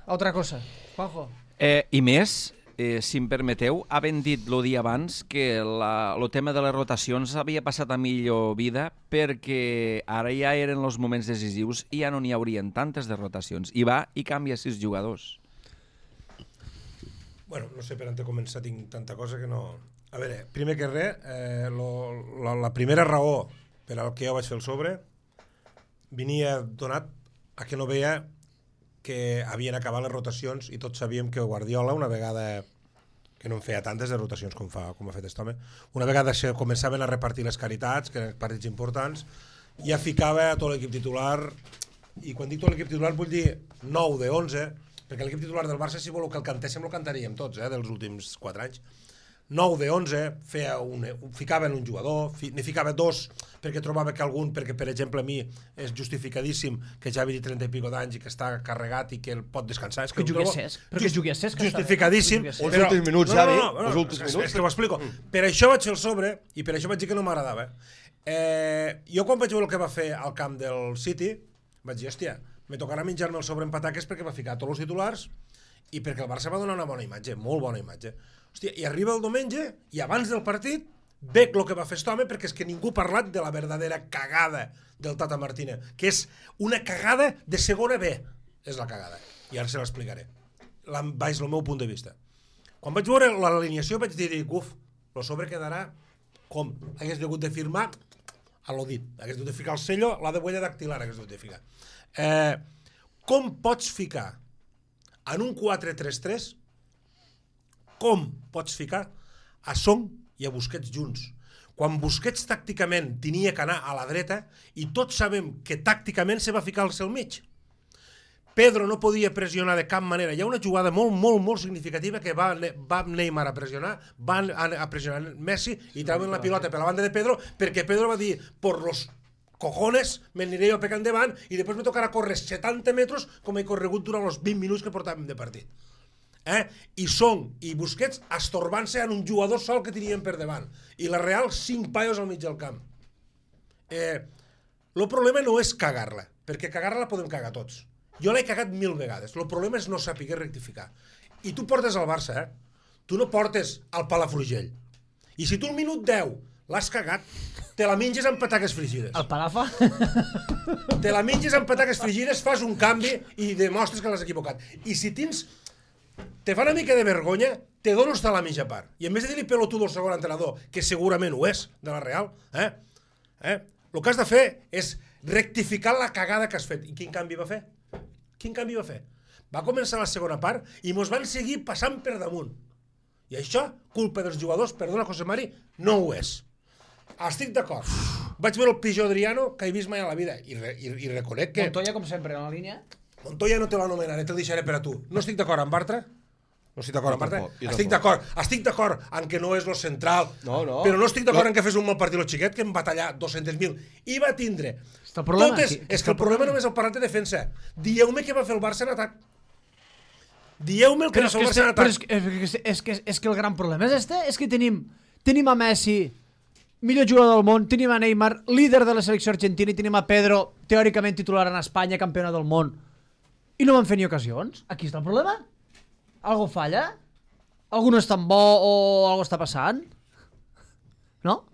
Speaker 3: altra cosa. Juanjo.
Speaker 1: I més... si em permeteu, havent dit el dia abans que el tema de les rotacions havia passat a millor vida perquè ara ja eren els moments decisius i ja no n'hi haurien tantes de rotacions. I va i canvia 6 jugadors.
Speaker 2: Bueno, no sé per on començar, tinc tanta cosa que no... A veure, primer que res, la primera raó per al que jo vaig fer el sobre venia donat a que no veia que havien acabat les rotacions i tots sabíem que Guardiola, una vegada que no en feia tantes de rotacions com ha fet aquest home, una vegada començaven a repartir les caritats, que eren partits importants, ja ficava tot l'equip titular, i quan dic tot l'equip titular vull dir 9 de 11, perquè l'equip titular del Barça, si voleu que el cantéssim, el cantaríem tots, dels últims 4 anys. 9 de 11, ficava en un jugador, n'hi ficava 2 perquè trobava que algun, perquè per exemple a mi és justificadíssim que Xavi té 30 i pico d'anys i que està carregat i que el pot descansar.
Speaker 3: Que jugui a Cesc.
Speaker 2: Justificadíssim.
Speaker 4: Els últims minuts, Xavi. Els últims minuts.
Speaker 2: És que ho explico. Per això vaig fer el sobre i per això vaig dir que no m'agradava. Jo quan vaig veure el que va fer al camp del City vaig dir, hòstia, me tocarà menjar-me el sobre en pataques perquè va ficar tots els titulars i perquè el Barça va donar una bona imatge, molt bona imatge. Hòstia, i arriba el diumenge i abans del partit veig el que va fer aquest home perquè és que ningú ha parlat de la verdadera cagada del Tata Martínez, que és una cagada de segona B, és la cagada, i ara se l'explicaré baix el meu punt de vista. Quan vaig veure l'alineació vaig dir, uf, el sobre quedarà com hagués hagut de firmar a lo dit, hagués hagut de ficar el sello, la de huella dactilar hagués hagut de ficar. Com pots ficar en un 4-3-3, com pots ficar a Son i a Busquets junts? Quan Busquets tàcticament tenia que anar a la dreta i tots sabem que tàcticament se va ficar al seu mig. Pedro no podia pressionar de cap manera. Hi ha una jugada molt significativa que va Neymar a pressionar, van a pressionar Messi i trauen la pilota per la banda de Pedro perquè Pedro va dir, por los cojones, m'aniré jo pecant endavant i després me tocarà córrer 70 metres com he corregut durant els 20 minuts que portàvem de partit. I Song i Busquets estorbant-se en un jugador sol que tenien per davant. I la Real, 5 paios al mig del camp. El problema no és cagar-la, perquè cagar-la la podem cagar tots. Jo l'he cagat 1000 vegades. El problema és no saber rectificar. I tu portes al Barça, Tu no portes al Palafrugell. I si tu al minut 10 l'has cagat, te la menges amb pataques frigides.
Speaker 3: El Palafa?
Speaker 2: Te la menges amb pataques frigides, fas un canvi i demostres que l'has equivocat. I si te fa una mica de vergonya, te dones a la mitja part. I en vez de dir-li pelotudo al segon entrenador, que segurament ho és, de la Real, el que has de fer és rectificar la cagada que has fet. I quin canvi va fer? Va començar la segona part i mos van seguir passant per damunt. I això, culpa dels jugadors, perdona José Mari, no ho és. Estic d'acord. Vaig veure el pitjor Adriano que he vist mai a la vida i reconec que...
Speaker 3: Montoya, com sempre, en la línia.
Speaker 2: Montoya no te l'anomenaré, te'l deixaré per a tu. No estic d'acord amb Bartra. Estic d'acord en que no és lo central, però no estic d'acord en que fes un mal partit el xiquet, que em va tallar 200.000. I va tindre... És que el problema només el parlat de defensa. Dieu-me què va fer el Barça en atac. Dieu-me el que va fer el Barça en atac.
Speaker 3: És que el gran problema és és que tenim a Messi, millor jugador del món, tenim a Neymar, líder de la selecció argentina, i tenim a Pedro, teòricament titular en Espanya, campiona del món, i no van fer ni ocasions. Aquí està el problema. Algo falla? Algú no és tan bo o algo està passant? No?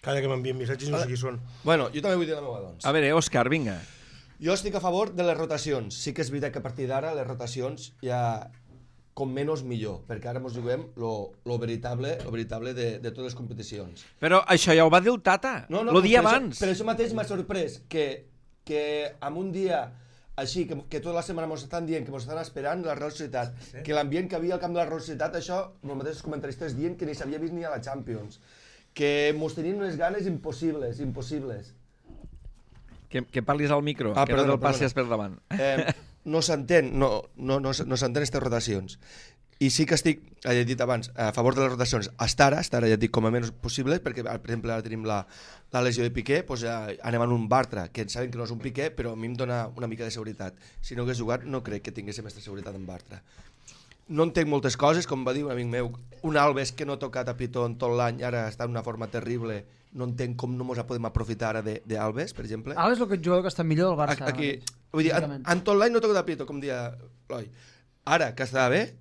Speaker 2: Calla que m'envien missatges i no sé qui són.
Speaker 4: Bueno, jo també vull dir la meva, doncs.
Speaker 1: A veure, Òscar, vinga.
Speaker 4: Jo estic a favor de les rotacions. Sí que és veritat que a partir d'ara les rotacions ja com menys millor, perquè ara ens juguem lo veritable de totes les competicions.
Speaker 1: Però això ja ho va dir el Tata, el dia abans.
Speaker 4: Per això mateix m'ha sorprès que en un dia així, que tota la setmana ens estan dient que ens estan esperant la Real Societat, que l'ambient que havia al camp de la Real Societat, això, els mateixos comentaristes dient que ni s'havia vist ni a la Champions, que ens tenien unes ganes impossibles.
Speaker 1: Que parlis al micro, que no te'l passis per davant.
Speaker 4: No s'entén aquestes rotacions. I sí que estic, ja he dit abans, a favor de les rotacions hasta ara ja dic com a menys possible, perquè per exemple ara tenim la lesió de Piqué, doncs ja anem en un Bartra, que saben que no és un Piqué, però a mi em dona una mica de seguretat. Si no hagués jugat no crec que tinguéssim aquesta seguretat en Bartra. No entenc moltes coses, com va dir un amic meu, un Alves que no ha tocat a Pitó en tot l'any, ara està en una forma terrible, no entenc com no ens podem aprofitar ara d'Alves, per exemple.
Speaker 3: Alves és el jugador que està millor del Barça.
Speaker 4: Vull dir, en tot l'any no ha tocat a Pitó, com dia l'Oi. Ara, que està bé,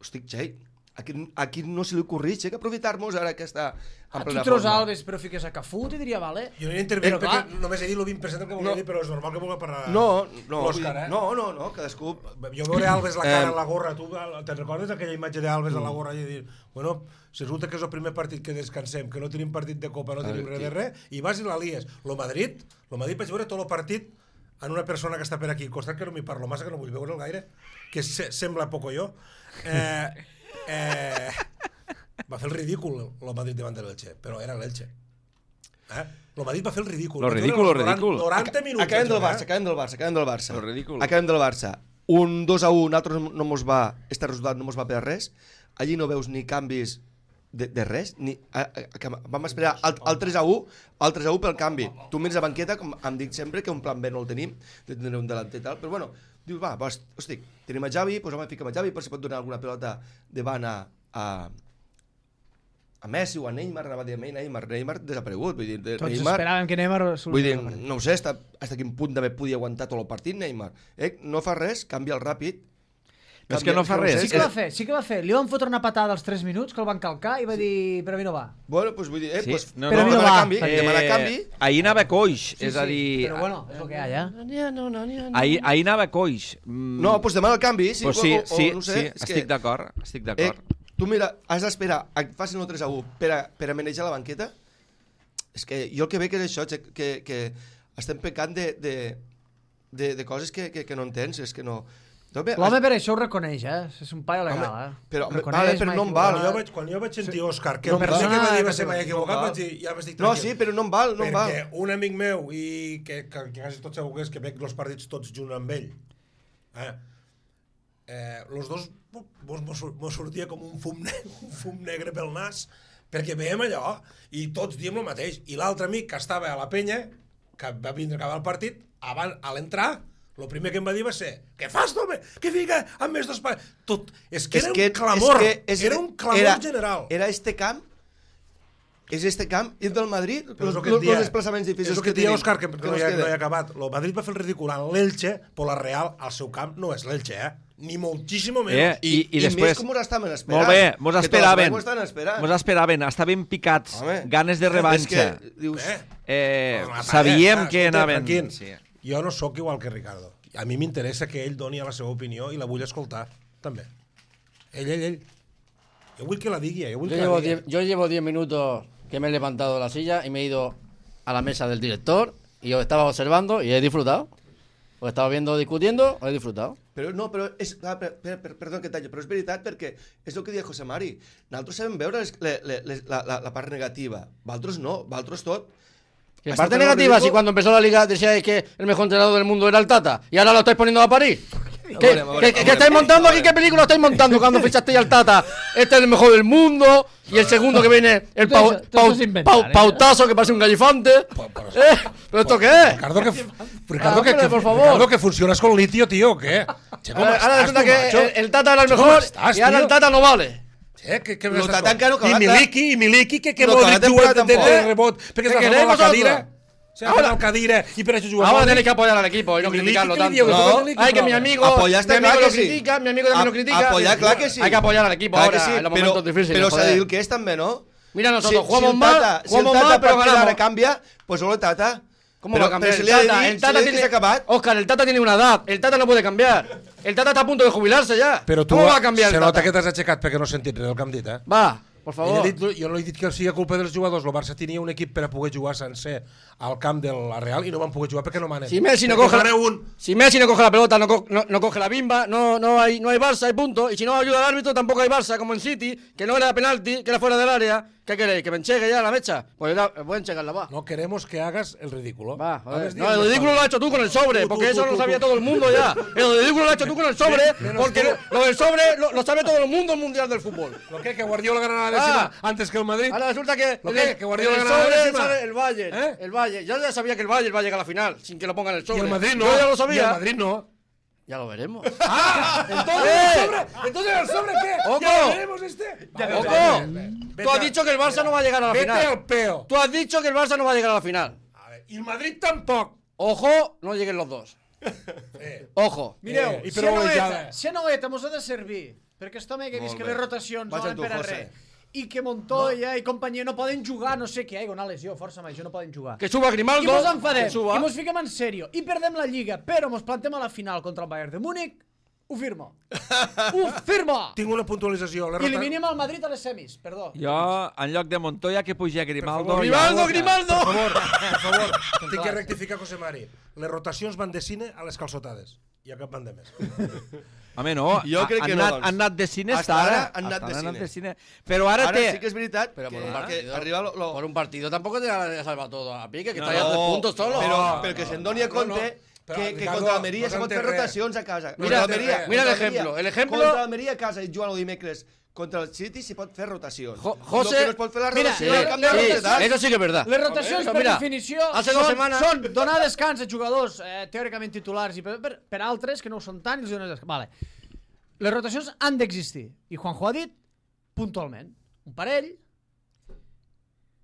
Speaker 4: estic xei. Aquí no se li ocorreix, que aprofitar-nos ara que està en plena forma.
Speaker 3: Tu treus Alves però fiques a Cafú, t'hi diria, vale?
Speaker 2: Jo no hi intervinc perquè només he dit el 20% que volia dir, però és normal que vulgui parlar l'Òscar,
Speaker 4: No, cadascú...
Speaker 2: Jo veuré Alves la cara en la gorra, tu te'n recordes aquella imatge d'Alves a la gorra i dir, bueno, si resulta que és el primer partit que descansem, que no tenim partit de Copa, no tenim res de res, i vas i la lies. Lo Madrid vaig veure tot el partit en una persona que està per aquí al costat, que no m'hi parlo massa, que no vull veure'l gaire, que sembla poco jo. Va fer el ridícul el Madrid davant de l'Elche, però era l'Elche. El Madrid va fer el ridícul.
Speaker 1: Lo ridícul.
Speaker 2: 90 minuts.
Speaker 4: Acabem del Barça.
Speaker 1: Lo ridícul.
Speaker 4: Acabem del Barça. Un 2-1, nosaltres no mos va, este resultat no mos va per res. Allí no veus ni canvis de res, vam esperar el 3-1 pel canvi. Tu mires a banqueta, com em dic sempre, que un plan B no el tenim, de tenir un delanter i tal, però bueno, dius, hosti, tenim a Xavi, doncs home, fiquem a Xavi, però si pot donar alguna pelota davant a Messi o a Neymar, anava a dir Neymar desaparegut, vull dir,
Speaker 3: tots esperàvem que Neymar...
Speaker 4: Vull dir, no ho sé, fins a quin punt també podia aguantar tot el partit Neymar. No fa res, canvia el ràpid.
Speaker 1: No és que no fa res.
Speaker 3: Sí que va fer. Li van fotre una patada als 3 minuts, que el van calcar i va dir, però a mi no va.
Speaker 4: Bueno, doncs vull dir,
Speaker 3: però a mi no va.
Speaker 4: Demana canvi.
Speaker 1: Ahir anava coix, és a dir...
Speaker 3: Però bueno, és el que hi ha,
Speaker 1: Ahir anava coix.
Speaker 4: No, doncs demana el canvi.
Speaker 1: Sí, estic d'acord.
Speaker 4: Tu mira, has d'esperar que facin el 3-1 per a manejar la banqueta. És que jo el que veig és això, que estem pecant de coses que no entens, és que no...
Speaker 3: L'home per això ho reconeix, és un paio legal,
Speaker 4: però no em val.
Speaker 2: Quan jo vaig sentir Òscar, que per ser que va dir va ser mai equivocat, vaig dir, ja m'estic tranquil.
Speaker 4: No, sí, però no em val.
Speaker 2: Perquè un amic meu, i que quasi tot segur que és que veig els partits tots junt amb ell, els dos mos sortia com un fum negre pel nas, perquè veiem allò i tots diem el mateix. I l'altre amic que estava a la penya, que va vindre a acabar el partit, a l'entrar, el primer que em va dir va ser què fas, home? Que fica amb més dos pares? Tot. És que era un clamor. Era un clamor general.
Speaker 4: Era este camp, és este camp, i del Madrid, els desplaçaments difícils
Speaker 2: és el que dia Òscar, que no hi ha acabat. El Madrid va fer el ridícul en l'Elche, però la Real, al seu camp, no és l'Elche, Ni moltíssim menys.
Speaker 1: I després...
Speaker 4: més com us estaven esperant.
Speaker 1: Molt bé, mos esperaven.
Speaker 4: Mos
Speaker 1: esperaven, estaven picats, ganes de revanxa.
Speaker 4: Dius...
Speaker 1: Sabíem que anaven...
Speaker 2: Jo no sóc igual que Ricardo. A mi m'interessa que ell doni la seva opinió i la vull escoltar, també. Ell. Yo vull que la digui,
Speaker 6: Yo llevo 10 minutos que me he levantado de la silla y me he ido a la mesa del director y os estaba observando y he disfrutado. Os estaba viendo discutiendo, he disfrutado.
Speaker 4: Però no, però és... Perdó que talli, però és veritat perquè és el que deia José Mari. Nosaltres sabem veure la part negativa. Vosaltres no, vosaltres tot.
Speaker 6: ¿Qué parte negativa? Si cuando empezó la liga decíais que el mejor entrenador del mundo era el Tata y ahora lo estáis poniendo a París. ¿Qué estáis montando aquí? ¿Qué película estáis montando cuando fichasteis al Tata? Este es el mejor del mundo y el segundo que viene el pautazo que parece un gallifante. ¿Pero esto qué es?
Speaker 2: Ricardo, que funcionas con litio, tío, ¿o qué?
Speaker 6: Ahora resulta que el Tata era el mejor y ahora el Tata no vale.
Speaker 2: I Miliki, que vol jugar de rebot, perquè s'ha fet la cadira. S'ha fet la cadira i per això juga.
Speaker 6: Ahora tenéis que apoyar al equipo y no criticarlo tanto.
Speaker 2: No,
Speaker 6: hay que mi amigo lo critica, mi amigo también lo critica.
Speaker 4: Apoyar, clar que sí.
Speaker 6: Hay que apoyar al equipo ahora en los momentos difíciles.
Speaker 4: Però s'ha de dir el que és també, no?
Speaker 6: Mira, nosotros jugamos mal,
Speaker 4: si el Tata
Speaker 6: pero ganamos.
Speaker 4: Canvia, pues solo el Tata.
Speaker 6: ¿Cómo va a cambiar el Tata? El Tata tiene... Oscar, el Tata tiene una edad. El Tata no puede cambiar. El Tata está a punto de jubilarse ya.
Speaker 2: ¿Cómo
Speaker 6: va a cambiar el Tata?
Speaker 2: Se nota que t'has aixecat perquè no has sentit res del que hem dit,
Speaker 6: Va, por favor.
Speaker 2: Jo no he dit que sigui culpa dels jugadors. El Barça tenia un equip per a poder jugar sencer al camp de la Real i no van poder jugar perquè no manen.
Speaker 6: Si Messi no coge la pelota, no coge la bimba, no hay Barça, hay punto. Y si no ayuda al árbitro, tampoco hay Barça, como en City, que no era penalti, que era fuera del área. ¿Qué queréis? ¿Que me enchegue ya la mecha? Pues voy a enchegarla, va.
Speaker 2: No queremos que hagas el ridículo.
Speaker 6: Va, no, el ridículo lo has hecho tú con el sobre, porque eso lo sabía todo el mundo ya. El ridículo lo has hecho tú con el sobre, porque lo del sobre lo sabe todo el mundo mundial del fútbol.
Speaker 2: ¿Lo que Guardiola gana la décima antes que el Madrid?
Speaker 6: Ahora resulta que
Speaker 2: Guardiola gana la décima.
Speaker 6: El Bayern, el Bayern. Yo ya sabía que el Bayern va a llegar a la final, sin que lo pongan en el sobre.
Speaker 2: Y el Madrid no.
Speaker 6: Yo ya lo sabía.
Speaker 2: Y el Madrid no.
Speaker 6: Ya lo veremos.
Speaker 2: ¿Entonces el sobre qué?
Speaker 6: ¡Oco!
Speaker 2: ¿Ya lo veremos este?
Speaker 6: ¡Oco! Tú has dicho que el Barça no va a llegar a la final.
Speaker 2: Vete al peo.
Speaker 6: Tú has dicho que el Barça no va a llegar a la final.
Speaker 2: A ver, y el Madrid tampoc.
Speaker 6: Ojo, no lleguen los dos. Ojo.
Speaker 3: Mireu,
Speaker 2: I
Speaker 3: si
Speaker 2: per
Speaker 3: a Noeta mos ha de servir, perquè aquest home que vist que les rotacions no van per a res, i que Montoya i companyia no poden jugar, no sé què, una lesió, força major, no poden jugar.
Speaker 6: Que suba Grimaldo.
Speaker 3: I mos enfadem, i mos fiquem en sèrio, i perdem la Lliga, però mos plantem a la final contra el Bayern de Múnich, ho firmo. Ho firmo!
Speaker 2: Tinc una puntualització.
Speaker 3: I eliminem el Madrid a les semis, perdó.
Speaker 1: Jo, en lloc de Montoya, que puja Grimaldo...
Speaker 6: Grimaldo!
Speaker 2: Per favor, tinc que rectificar, José Mari. Les rotacions van de cine a les calçotades. I a cap van de més.
Speaker 1: Home, no,
Speaker 4: jo crec que
Speaker 1: han anat de cine
Speaker 4: hasta ara. Han anat de cine.
Speaker 1: Però ara té...
Speaker 4: sí que és veritat
Speaker 6: pero por
Speaker 4: que
Speaker 6: un partido tampoco te ha salvado todo a pique, que está ya 3 puntos solo.
Speaker 4: Però que se'n doni a compte que contra l'Almeria s'ha pot fer rotacions a casa.
Speaker 6: Mira el ejemplo.
Speaker 4: Contra l'Almeria a casa i jugant el dimecres contra el City s'hi pot fer rotacions.
Speaker 6: José,
Speaker 4: que no es pot fer la rotació
Speaker 6: eso sí que es verdad.
Speaker 3: Les rotacions, per definició,
Speaker 6: hace 2 semanas
Speaker 3: són donar descans a jugadors teòricament titulars i per altres que no ho són tant. Vale. Les rotacions han d'existir. I Juanjo ha dit, puntualment, un parell,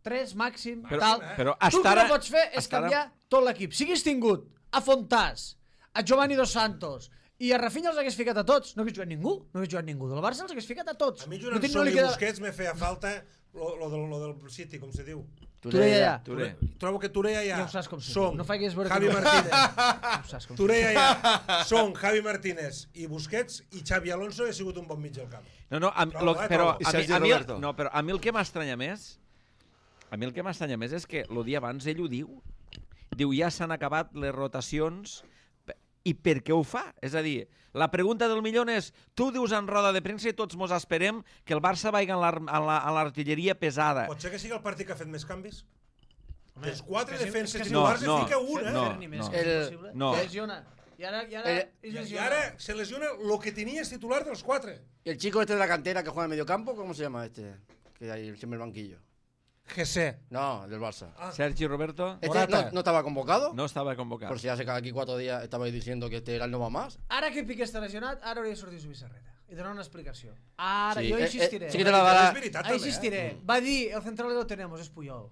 Speaker 3: 3 màxim, tal.
Speaker 1: Però
Speaker 3: tu el que no pots fer és canviar tot l'equip. Si hagués tingut a Fontàs, a Giovanni Dos Santos i a Rafinha els hagués ficat a tots, no hagués jugat ningú, del Barça els hagués ficat a tots.
Speaker 2: A mi jugant Son i Busquets me feia falta lo del City, com se diu.
Speaker 3: Touré.
Speaker 2: Trobo que Touré ja
Speaker 3: ho saps com se
Speaker 2: Son,
Speaker 3: diu. No faigues veure
Speaker 2: Javi
Speaker 3: que
Speaker 2: Martínez. Touré ja Son, Javi Martínez i Busquets i Xavi Alonso ha sigut un bon mig del camp.
Speaker 1: Però a mi el que m'estranya més, és que el dia abans ell ho diu, ja s'han acabat les rotacions. I per què ho fa? És a dir, la pregunta del milió és, tu dius en roda de premsa i tots mos esperem que el Barça vagi a l'artilleria pesada.
Speaker 2: Pot ser que sigui el partit que ha fet més canvis? Els 4 defenses titulars es fica un,
Speaker 1: No.
Speaker 3: Lesiona. I ara
Speaker 2: se lesiona lo que tenía es titular de los 4.
Speaker 6: ¿Y el chico este de la cantera que juega en medio campo? ¿Cómo se llama este? Que hay siempre el banquillo.
Speaker 2: GC.
Speaker 6: No, del Barça.
Speaker 1: Sergi Roberto
Speaker 2: Morata.
Speaker 6: ¿No estaba convocado?
Speaker 1: no estava convocat.
Speaker 6: Por si hace cada aquí 4 días estabais diciendo que este era el no va más.
Speaker 3: Ara que Piqué està lesionat, ara hauria de sortir Zubizarreta i donar una explicació. Ara,
Speaker 6: Sí,
Speaker 3: jo insistiré.
Speaker 6: sí que te la darà.
Speaker 2: És veritat, també,
Speaker 3: Insistiré. Va dir, el central lo tenemos, és Puyol.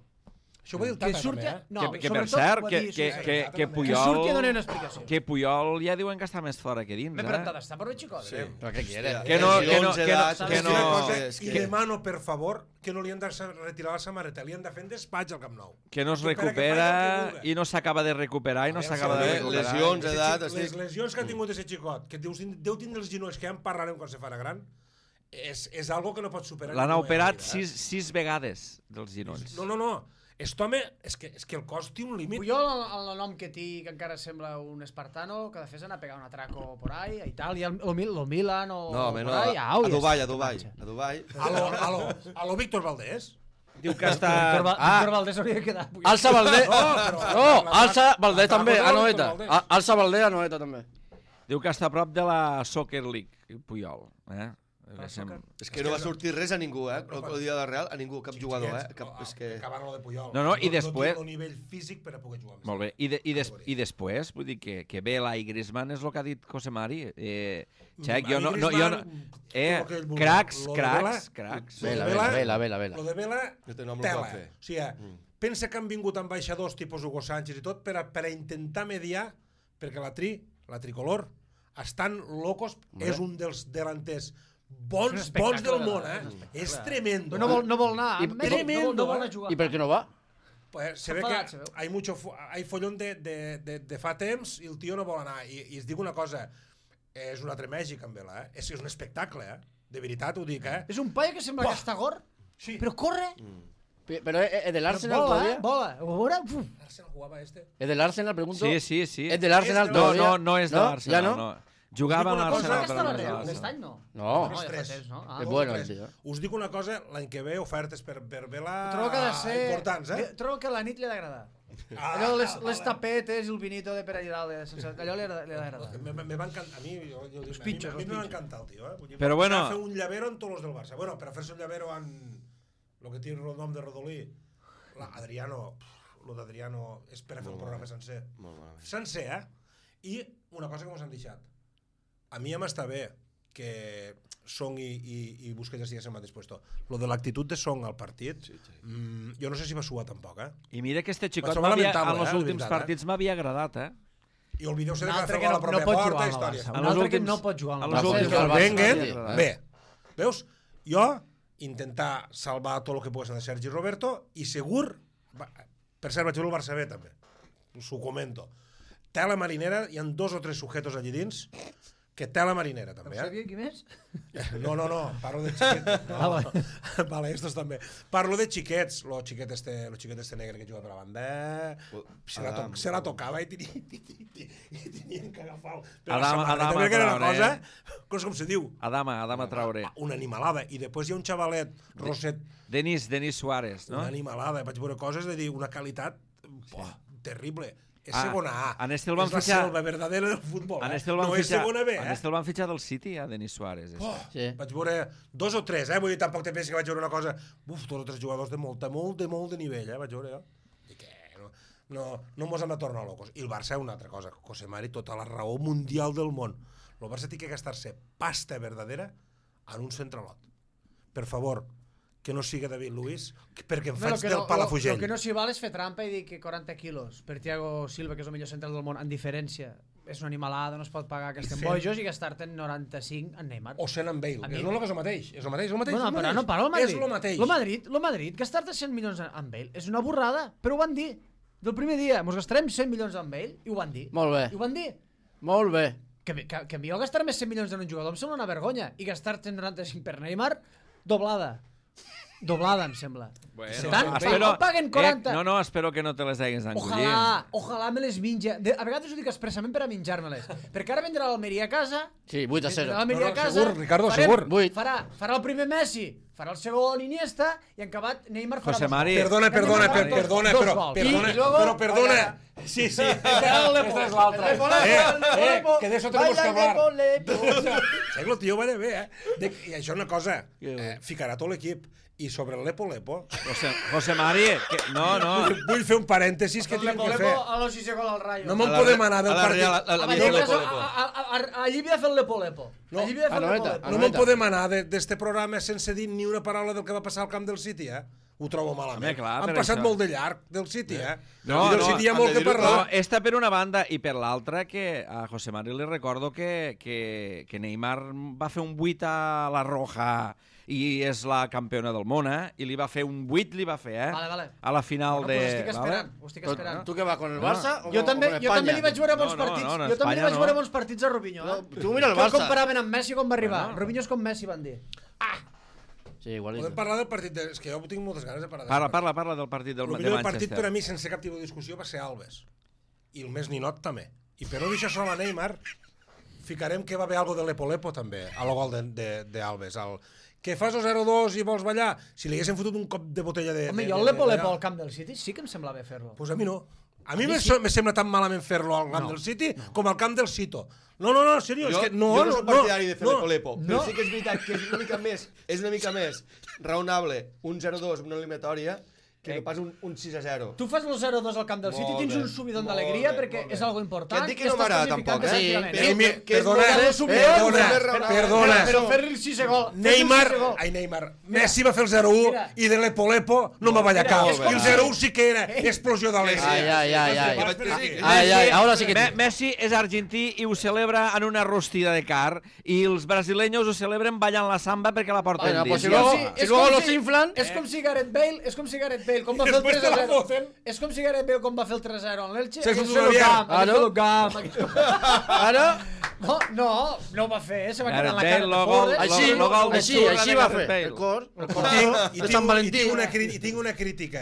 Speaker 2: Això ho va dir el
Speaker 3: Que
Speaker 2: Tata,
Speaker 3: surti...
Speaker 2: també,
Speaker 3: No,
Speaker 1: que per
Speaker 3: sobretot
Speaker 1: cert,
Speaker 3: ho va
Speaker 1: que,
Speaker 3: dir
Speaker 1: que,
Speaker 3: Zubizarreta.
Speaker 1: que, que
Speaker 3: Que
Speaker 1: Puyol...
Speaker 3: surti i doni una explicació.
Speaker 1: Que Puyol ja diuen que està més fora que dins,
Speaker 3: Bé, però t'ha d'estar per un xicot.
Speaker 4: Sí.
Speaker 6: ¿Pero qué quiere?
Speaker 1: Que no, que no,
Speaker 4: Lesions,
Speaker 1: que no,
Speaker 4: edats,
Speaker 1: que
Speaker 2: I una
Speaker 1: no,
Speaker 2: cosa,
Speaker 4: és
Speaker 2: I
Speaker 4: que-
Speaker 2: demano, per favor, que no li han de retirar la samarreta, li han de fer en despatx al Camp Nou.
Speaker 1: que no es
Speaker 2: I per a que
Speaker 1: recupera
Speaker 2: faci el que
Speaker 1: i no s'acaba de recuperar i no
Speaker 2: Aviam,
Speaker 1: s'acaba de
Speaker 2: sí,
Speaker 1: recuperar.
Speaker 4: lesions,
Speaker 2: Ese
Speaker 4: edat,
Speaker 2: xic- Les
Speaker 4: estic...
Speaker 2: lesions que ha tingut ese xicot, que deu tindre els genolls que ja en parlarem quan se farà gran, és algo que no pot superar.
Speaker 1: L'han
Speaker 2: ningú
Speaker 1: operat
Speaker 2: en la vida,
Speaker 1: 6 vegades dels genolls.
Speaker 2: No. Aquest home, és que el cos té un límit.
Speaker 3: Puyol, el nom que té, que encara sembla un espartano, que de fet s'ha pegar un atraco por ahí, a Itàlia, lo Milan o
Speaker 4: No, home, no,
Speaker 3: por ahí,
Speaker 4: a
Speaker 3: au,
Speaker 4: Dubai,
Speaker 3: ja
Speaker 4: a Dubai.
Speaker 3: està.
Speaker 4: A Dubai.
Speaker 2: A lo Víctor Valdés.
Speaker 1: Diu que està...
Speaker 3: Víctor Valdés hauria de quedar.
Speaker 6: Alça Valdés.
Speaker 2: però-
Speaker 6: No, Alça Valdés també, a
Speaker 2: Víctor
Speaker 6: Noeta.
Speaker 2: Valdés.
Speaker 6: Alça Valdés a Noeta també.
Speaker 1: Diu que està a prop de la Soccer League, Puyol. Que
Speaker 4: És que no va sortir res a ningú, el dia de Real, a ningú, cap jugador, és que...
Speaker 2: Acabant lo de Puyol.
Speaker 1: No, i després-
Speaker 2: No té el nivell físic per a poder jugar.
Speaker 1: Molt bé. I després, vull dir que Vela i Griezmann és el que ha dit José Mari. Xec, jo no... Cracs.
Speaker 6: Vela.
Speaker 2: Lo de Vela,
Speaker 4: No té nom, no
Speaker 2: tela.
Speaker 4: pot fer.
Speaker 2: O sigui, pensa que han vingut ambaixadors tipus Hugo Sánchez i tot per a intentar mediar, perquè la tricolor estan locos, és un dels delanters bons del món, És tremendo.
Speaker 3: No vol anar.
Speaker 2: Tremendo,
Speaker 3: No vol anar a jugar.
Speaker 6: ¿Y por qué no va?
Speaker 2: Pues se ve
Speaker 3: Enfadat,
Speaker 2: que
Speaker 3: se veu.
Speaker 2: hay follón de fa temps i el tio no vol anar. I es diu una cosa, és un altre Mèxic amb Vela, És un espectacle, De veritat ho dic,
Speaker 3: És un paio que sembla que està gor,
Speaker 2: Sí.
Speaker 3: però corre.
Speaker 6: ¿Pero es del Arsenal
Speaker 3: Vola,
Speaker 6: todavía?
Speaker 3: vola. Ho veurà? Uf.
Speaker 2: Arsenal jugava este.
Speaker 6: ¿Es del Arsenal, pregunto?
Speaker 1: Sí.
Speaker 6: ¿Es del Arsenal
Speaker 2: És-
Speaker 6: todavía?
Speaker 1: No és de l'Arsenal,
Speaker 6: ¿Ya
Speaker 1: no. Jugava amb
Speaker 2: Us dic una cosa,
Speaker 1: l'Arsenal,
Speaker 3: Que està
Speaker 1: però
Speaker 3: la
Speaker 1: no és de
Speaker 3: Real.
Speaker 1: l'Arsenal.
Speaker 3: Aquest any no.
Speaker 6: No.
Speaker 3: No, ja fa
Speaker 2: tres.
Speaker 3: temps, no?
Speaker 6: És
Speaker 2: Dos
Speaker 6: bueno
Speaker 2: o
Speaker 6: el
Speaker 2: tres.
Speaker 6: tio.
Speaker 2: Us dic una cosa, l'any que ve ofertes per Vela
Speaker 3: Trobo que ha de ser...
Speaker 2: importants,
Speaker 3: Trobo que a la nit li ha d'agradar.
Speaker 2: Ah,
Speaker 3: Allò, les tapetes i el vinito de per allà dalt, allò li ha d'agradar.
Speaker 2: Me va encantar, a mi,
Speaker 3: pitjors,
Speaker 2: a mi
Speaker 3: els
Speaker 2: me va
Speaker 3: pitjors.
Speaker 2: encantar el tio, Vull dir,
Speaker 1: Però bueno-
Speaker 2: va fer un llavero en tots els del Barça. Bueno, per a fer-se un llavero en lo que té el nom de Rodolí, Adriano, lo d'Adriano és per a fer un programa sencer.
Speaker 4: Molt malament.
Speaker 2: Sencer, I una cosa que mos han deixat. A mi ja m'està bé que Song i Busquets estiguessin al mateix puesto. Lo de l'actitud de Song al partit, jo no sé si va suar tampoc,
Speaker 1: I mira que este xicot
Speaker 2: trobar lamentable,
Speaker 1: en els
Speaker 2: de
Speaker 1: últims
Speaker 2: veritat,
Speaker 1: partits m'havia agradat,
Speaker 2: I oblideu-se de
Speaker 3: Un
Speaker 2: que va
Speaker 3: altre
Speaker 2: fer
Speaker 3: que
Speaker 2: gol a la
Speaker 3: no
Speaker 2: pròpia
Speaker 3: pot
Speaker 2: porta,
Speaker 3: jugar amb el
Speaker 2: històries.
Speaker 3: Barça.
Speaker 1: En
Speaker 3: Un
Speaker 1: els
Speaker 3: altre que
Speaker 1: últims-
Speaker 3: no pot jugar amb
Speaker 1: en
Speaker 3: el
Speaker 1: els
Speaker 3: Barça.
Speaker 1: últims-
Speaker 2: El
Speaker 6: Barça,
Speaker 2: Wenger,
Speaker 6: sí,
Speaker 2: bé. Veus? Jo intentar salvar tot el que pogués de Sergi Roberto i segur, per cert vaig veure el Barça B també, us ho comento, tela marinera, hi ha 2 o 3 sujetos allí dins que tela marinera també,
Speaker 3: Sabia qui més?
Speaker 2: No, parlo de xiquets. No. Vale, estos també. Parlo de xiquets, lo xiquet este negre que juga per la banda, se la tocava i tenien que agafar per la samarreta,
Speaker 1: Adama
Speaker 2: perquè era una
Speaker 1: Traoré.
Speaker 2: cosa com se diu,
Speaker 1: Adama Traoré.
Speaker 2: una animalada. I després hi ha un xavalet, Roset,
Speaker 1: Denis Suárez, no?
Speaker 2: una animalada. Vaig veure coses de dir una qualitat terrible. És
Speaker 1: Ah,
Speaker 2: segona A.
Speaker 1: en este el van
Speaker 2: és la
Speaker 1: fitxar-
Speaker 2: selva verdadera del futbol.
Speaker 1: En este el
Speaker 2: no
Speaker 1: van
Speaker 2: és
Speaker 1: fitxar,
Speaker 2: segona B,
Speaker 1: en este el van fitxar del City, a Denis Suárez. Este.
Speaker 6: Sí.
Speaker 2: Vaig veure 2 o 3, Vull dir, tampoc te pensi que vaig veure una cosa... 2 o 3 jugadors de molt de nivell, Vaig veure, I que no mos hem de tornar locos. I el Barça, una altra cosa, José Mari, tota la raó mundial del món. El Barça té que gastar-se pasta verdadera en un centralot. Per favor, que no siga David Luiz, perquè em faig del Palafrugell.
Speaker 3: El que no s'hi val és fer trampa i dir que 40 quilos per Thiago Silva, que és el millor central del món, en diferència, és una animalada, no es pot pagar que estem bojos i gastar-te'n 95 en Neymar.
Speaker 2: O 100 en Bale.
Speaker 3: A mi-
Speaker 2: És el mateix. És el mateix.
Speaker 3: Bueno, però no parlo del Madrid.
Speaker 2: És el mateix.
Speaker 3: Lo Madrid, gastar-te 100 milions en Bale és una borrada, però ho van dir. Del primer dia, mos gastarem 100 milions en Bale, i ho van dir.
Speaker 6: Molt bé.
Speaker 3: I ho van dir.
Speaker 6: Molt bé.
Speaker 3: Que millor gastar-me 100 milions en un jugador em sembla una vergonya, i gastar-te 95 per Neymar, doblada. Doblada, em sembla.
Speaker 1: Bueno,
Speaker 3: Tant, no paguen 40.
Speaker 1: No, espero que no te les deguis engullir.
Speaker 3: Ojalà me les menja. A vegades ho dic expressament per a menjar-me-les. Perquè ara vendrà l'Almeria a casa.
Speaker 6: Sí, 8-0.
Speaker 3: Vendrà l'Almeria a
Speaker 2: No,
Speaker 3: casa.
Speaker 2: segur, Ricardo,
Speaker 3: farem-
Speaker 2: segur.
Speaker 6: Vuit.
Speaker 3: Farà el primer Messi, farà el segon Iniesta, i en acabat Neymar farà
Speaker 1: José
Speaker 3: dos
Speaker 1: Mari.
Speaker 3: gols.
Speaker 2: Perdona,
Speaker 3: Dos gols. I luego-
Speaker 2: però perdona. Sí. Esta és l'altra. Que de eso tenemos que hablar. El tio va de bé, I això és una cosa, ficarà tot l'equip. I sobre el Lepo,
Speaker 1: José Mari, no.
Speaker 2: vull fer un parèntesis que tinc que fer.
Speaker 3: A los 6 gol al Rayo.
Speaker 2: No me'n podem anar del partit.
Speaker 3: Allí havia de fer el Lepo.
Speaker 2: No me'n podem anar d'este programa sense dir ni una paraula del que va passar al camp del City, Ho trobo malament.
Speaker 1: Home, clar,
Speaker 2: Han passat molt de llarg del City,
Speaker 1: No,
Speaker 2: I del City hi ha molt que parlar.
Speaker 1: No, esta per una banda, i per l'altra que a José Mari li recordo que Neymar va fer un 8 a la Roja i és la campiona del món, i li va fer un 8,
Speaker 3: Vale.
Speaker 1: a la final de...
Speaker 3: Ho estic esperant.
Speaker 6: Tu què va, con el Barça o
Speaker 3: Jo també li vaig veure bons
Speaker 1: No,
Speaker 3: partits.
Speaker 1: en
Speaker 3: Jo també li
Speaker 1: Espanya
Speaker 3: vaig veure bons partits a Robinho.
Speaker 6: Tu mira el
Speaker 3: Que el
Speaker 6: Barça.
Speaker 3: comparaven amb Messi quan va arribar. Robinho és com Messi, van dir.
Speaker 6: Sí, igual.
Speaker 2: Podem parlar del partit, és que jo tinc moltes ganes de parlar.
Speaker 1: Parla del partit del
Speaker 2: El
Speaker 1: de
Speaker 2: millor partit per a
Speaker 1: Manchester.
Speaker 2: mi, sense cap tipus de discussió, va ser Alves. I el més ninot també. I per no deixar sol a Neymar, ficarem que va haver algo de Lepo també, a lo gol d'Alves. Que fas el 0-2 i vols ballar? Si li haguessin fotut un cop de botella de...
Speaker 3: Home, jo el Lepo al camp del City sí que em sembla bé fer-lo.
Speaker 2: Pues a mi no. A mi me sembla tan malament fer-lo al camp del City com al camp del Cito. No, seriós, és que no...
Speaker 4: Jo no soc partidari de fer Lepo,
Speaker 3: no.
Speaker 4: però sí que és veritat que és una mica més raonable un 0-2 en una eliminatòria que no pas un 6-0.
Speaker 3: Tu fas el 0-2 al camp del City, tens un subidon d'alegria perquè és algo important.
Speaker 4: Que et dic que no m'agrada tampoc,
Speaker 2: Perdona.
Speaker 3: Però fer-li el 6 gol.
Speaker 2: Neymar. Messi va fer el 0-1 i de Lepo no va ballar cap. I el 0-1 sí que era explosió d'alegria.
Speaker 6: Ai, ahora sí que...
Speaker 1: Messi és argentí i ho celebra en una rostida de car i els brasileños ho celebren ballant la samba perquè la porten
Speaker 6: Bueno, pues
Speaker 1: dins.
Speaker 6: si luego los inflan...
Speaker 3: És com si Gareth Bale com va fer el 3-0. És com si Gareth Bale com va fer el 3-0 en l'Elche.
Speaker 2: Se fot un
Speaker 3: camp.
Speaker 6: Ara...
Speaker 3: No ho va fer, se va quedar en la cara de
Speaker 6: Així va fer. El cor.
Speaker 2: I tinc una crítica.